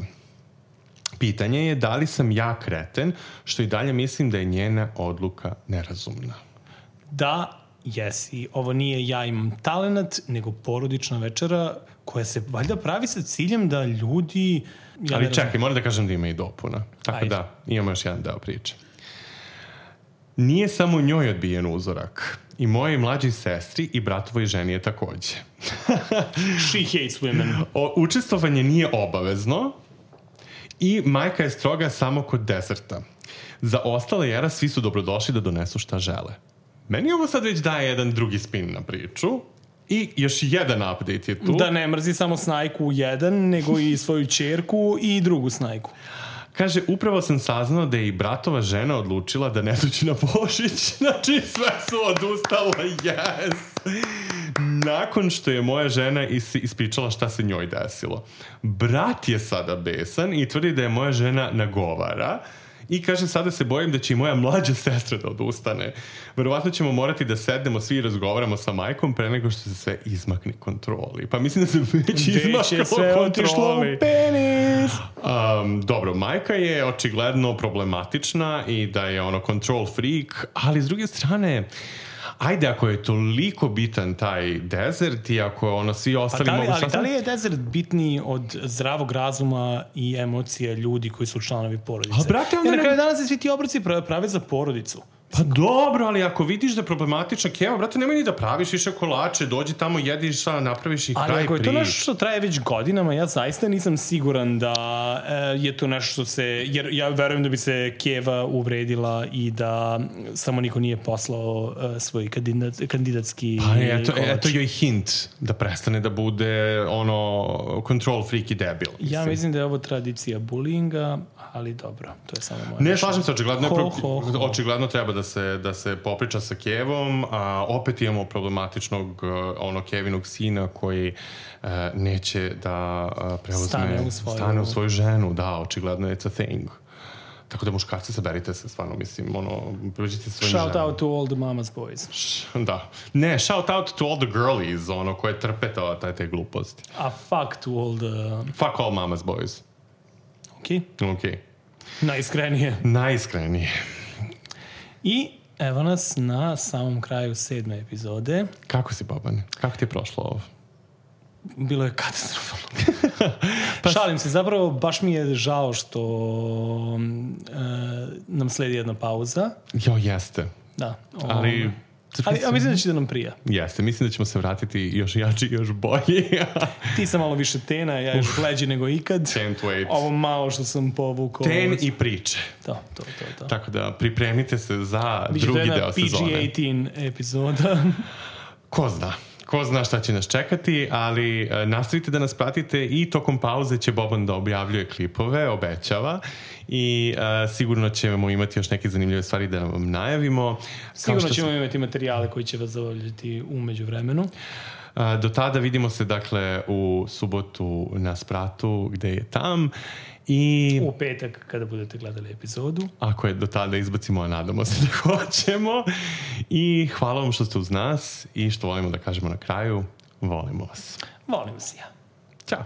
Pitanje je da li sam ja kreten, što i dalje mislim da je njena odluka nerazumna. Da, jesi. Ovo nije ja imam talenat, nego porodična večera koja se valjda pravi sa ciljem da ljudi... Ja Ali čekaj, moram da kažem da ima i dopuna. Tako Ajde. Da, imamo još jedan deo priče. Nije samo njoj odbijen uzorak. I mojoj mlađoj sestri i bratovoj ženi je takođe. She hates women. O, učestvovanje nije obavezno i majka je stroga samo kod deserta. Za ostale jera svi su dobrodošli da donesu šta žele. Meni ovo sad već daje jedan drugi spin na priču i još jedan update je tu. Da ne mrzi samo snajku jedan, nego i svoju ćerku i drugu snajku. Kaže, upravo sam saznao da je i bratova žena odlučila da ne dođe na Božić. Znači, sve su odustale, yes! Nakon što je moja žena is- ispričala šta se njoj desilo. Brat je sada besan i tvrdi da je moja žena nagovara. I kaže, sada se bojim da će i moja mlađa sestra da odustane. Verovatno ćemo morati da sednemo svi i razgovaramo sa majkom pre nego što se sve izmakne kontroli. Pa mislim da se već izmaklo kontroli. Penis! Um, dobro, majka je očigledno problematična i da je ono control freak, ali s druge strane... Ajde, ako je toliko bitan taj desert i ako ono svi ostali da li, mogu... Ali da li je desert bitniji od zdravog razuma i emocije ljudi koji su članovi porodice? A brate, onda... Jer na kraju danas se svi ti obroci prave za porodicu. Pa dobro, ali ako vidiš da je problematična keva, brate, nemoj ni da praviš više kolače, dođi tamo, jediš, napraviš i kraj prič. Ali ako je to nešto što traje već godinama, ja zaista nisam siguran da e, je to nešto što se... Jer ja verujem da bi se keva uvredila i da samo niko nije poslao e, svoj kandidat, kandidatski pa eto, kolač. Eto joj hint da prestane da bude ono control freak i debil. Mislim. Ja mislim da je ovo tradicija bullyinga, ali dobro, to je samo moje... Ne, slažem se, očigledno, ho, ho, ho. očigledno treba da se, da se popriča sa kevom, a opet imamo problematičnog ono kevinog sina koji uh, neće da uh, preuzme, stane u, svoju... stane u svoju ženu, da, očigledno it's a thing. Tako da muškarci, saberite se, stvarno, mislim, ono, pređite svojim ženom. Shout out to all the mama's boys. Da. Ne, shout out to all the girlies, ono, koje trpe to, taj te gluposti. A fuck to all the... Fuck all mama's boys. Okej. Okay. Okej. Okay. Najiskrenije. Najiskrenije. I evo nas na samom kraju sedme epizode. Kako si, Boban? Kako ti je prošlo ovo? Bilo je katastrofalno. pa Šalim se, zapravo baš mi je žao što uh, nam sledi jedna pauza. Jo, jeste. Da. Um, Ali... Ali ja mislim da će da nam prija. Jeste, mislim da ćemo se vratiti još jači i još bolji. Ti sam malo više tena, ja još bleđi nego ikad. Can't wait. Ovo malo što sam povukao. Ten i priče. To, to, to. to. Tako da pripremite se za Biće drugi deo P G sezone. osamnaest epizoda. Ko zna. Ko zna šta će nas čekati, ali e, nastavite da nas pratite i tokom pauze će Boban da objavljuje klipove, obećava i e, sigurno ćemo imati još neke zanimljive stvari da vam najavimo. Sigurno ćemo sam... imati materijale koji će vas zabavljati u međuvremenu. E, do tada vidimo se dakle u subotu na Spratu gde je tam i... U petak kada budete gledali epizodu. Ako je do tada izbacimo, a nadamo se da hoćemo. I hvala vam što ste uz nas i što volimo da kažemo na kraju. Volimo vas. Volim vas ja. Ćao.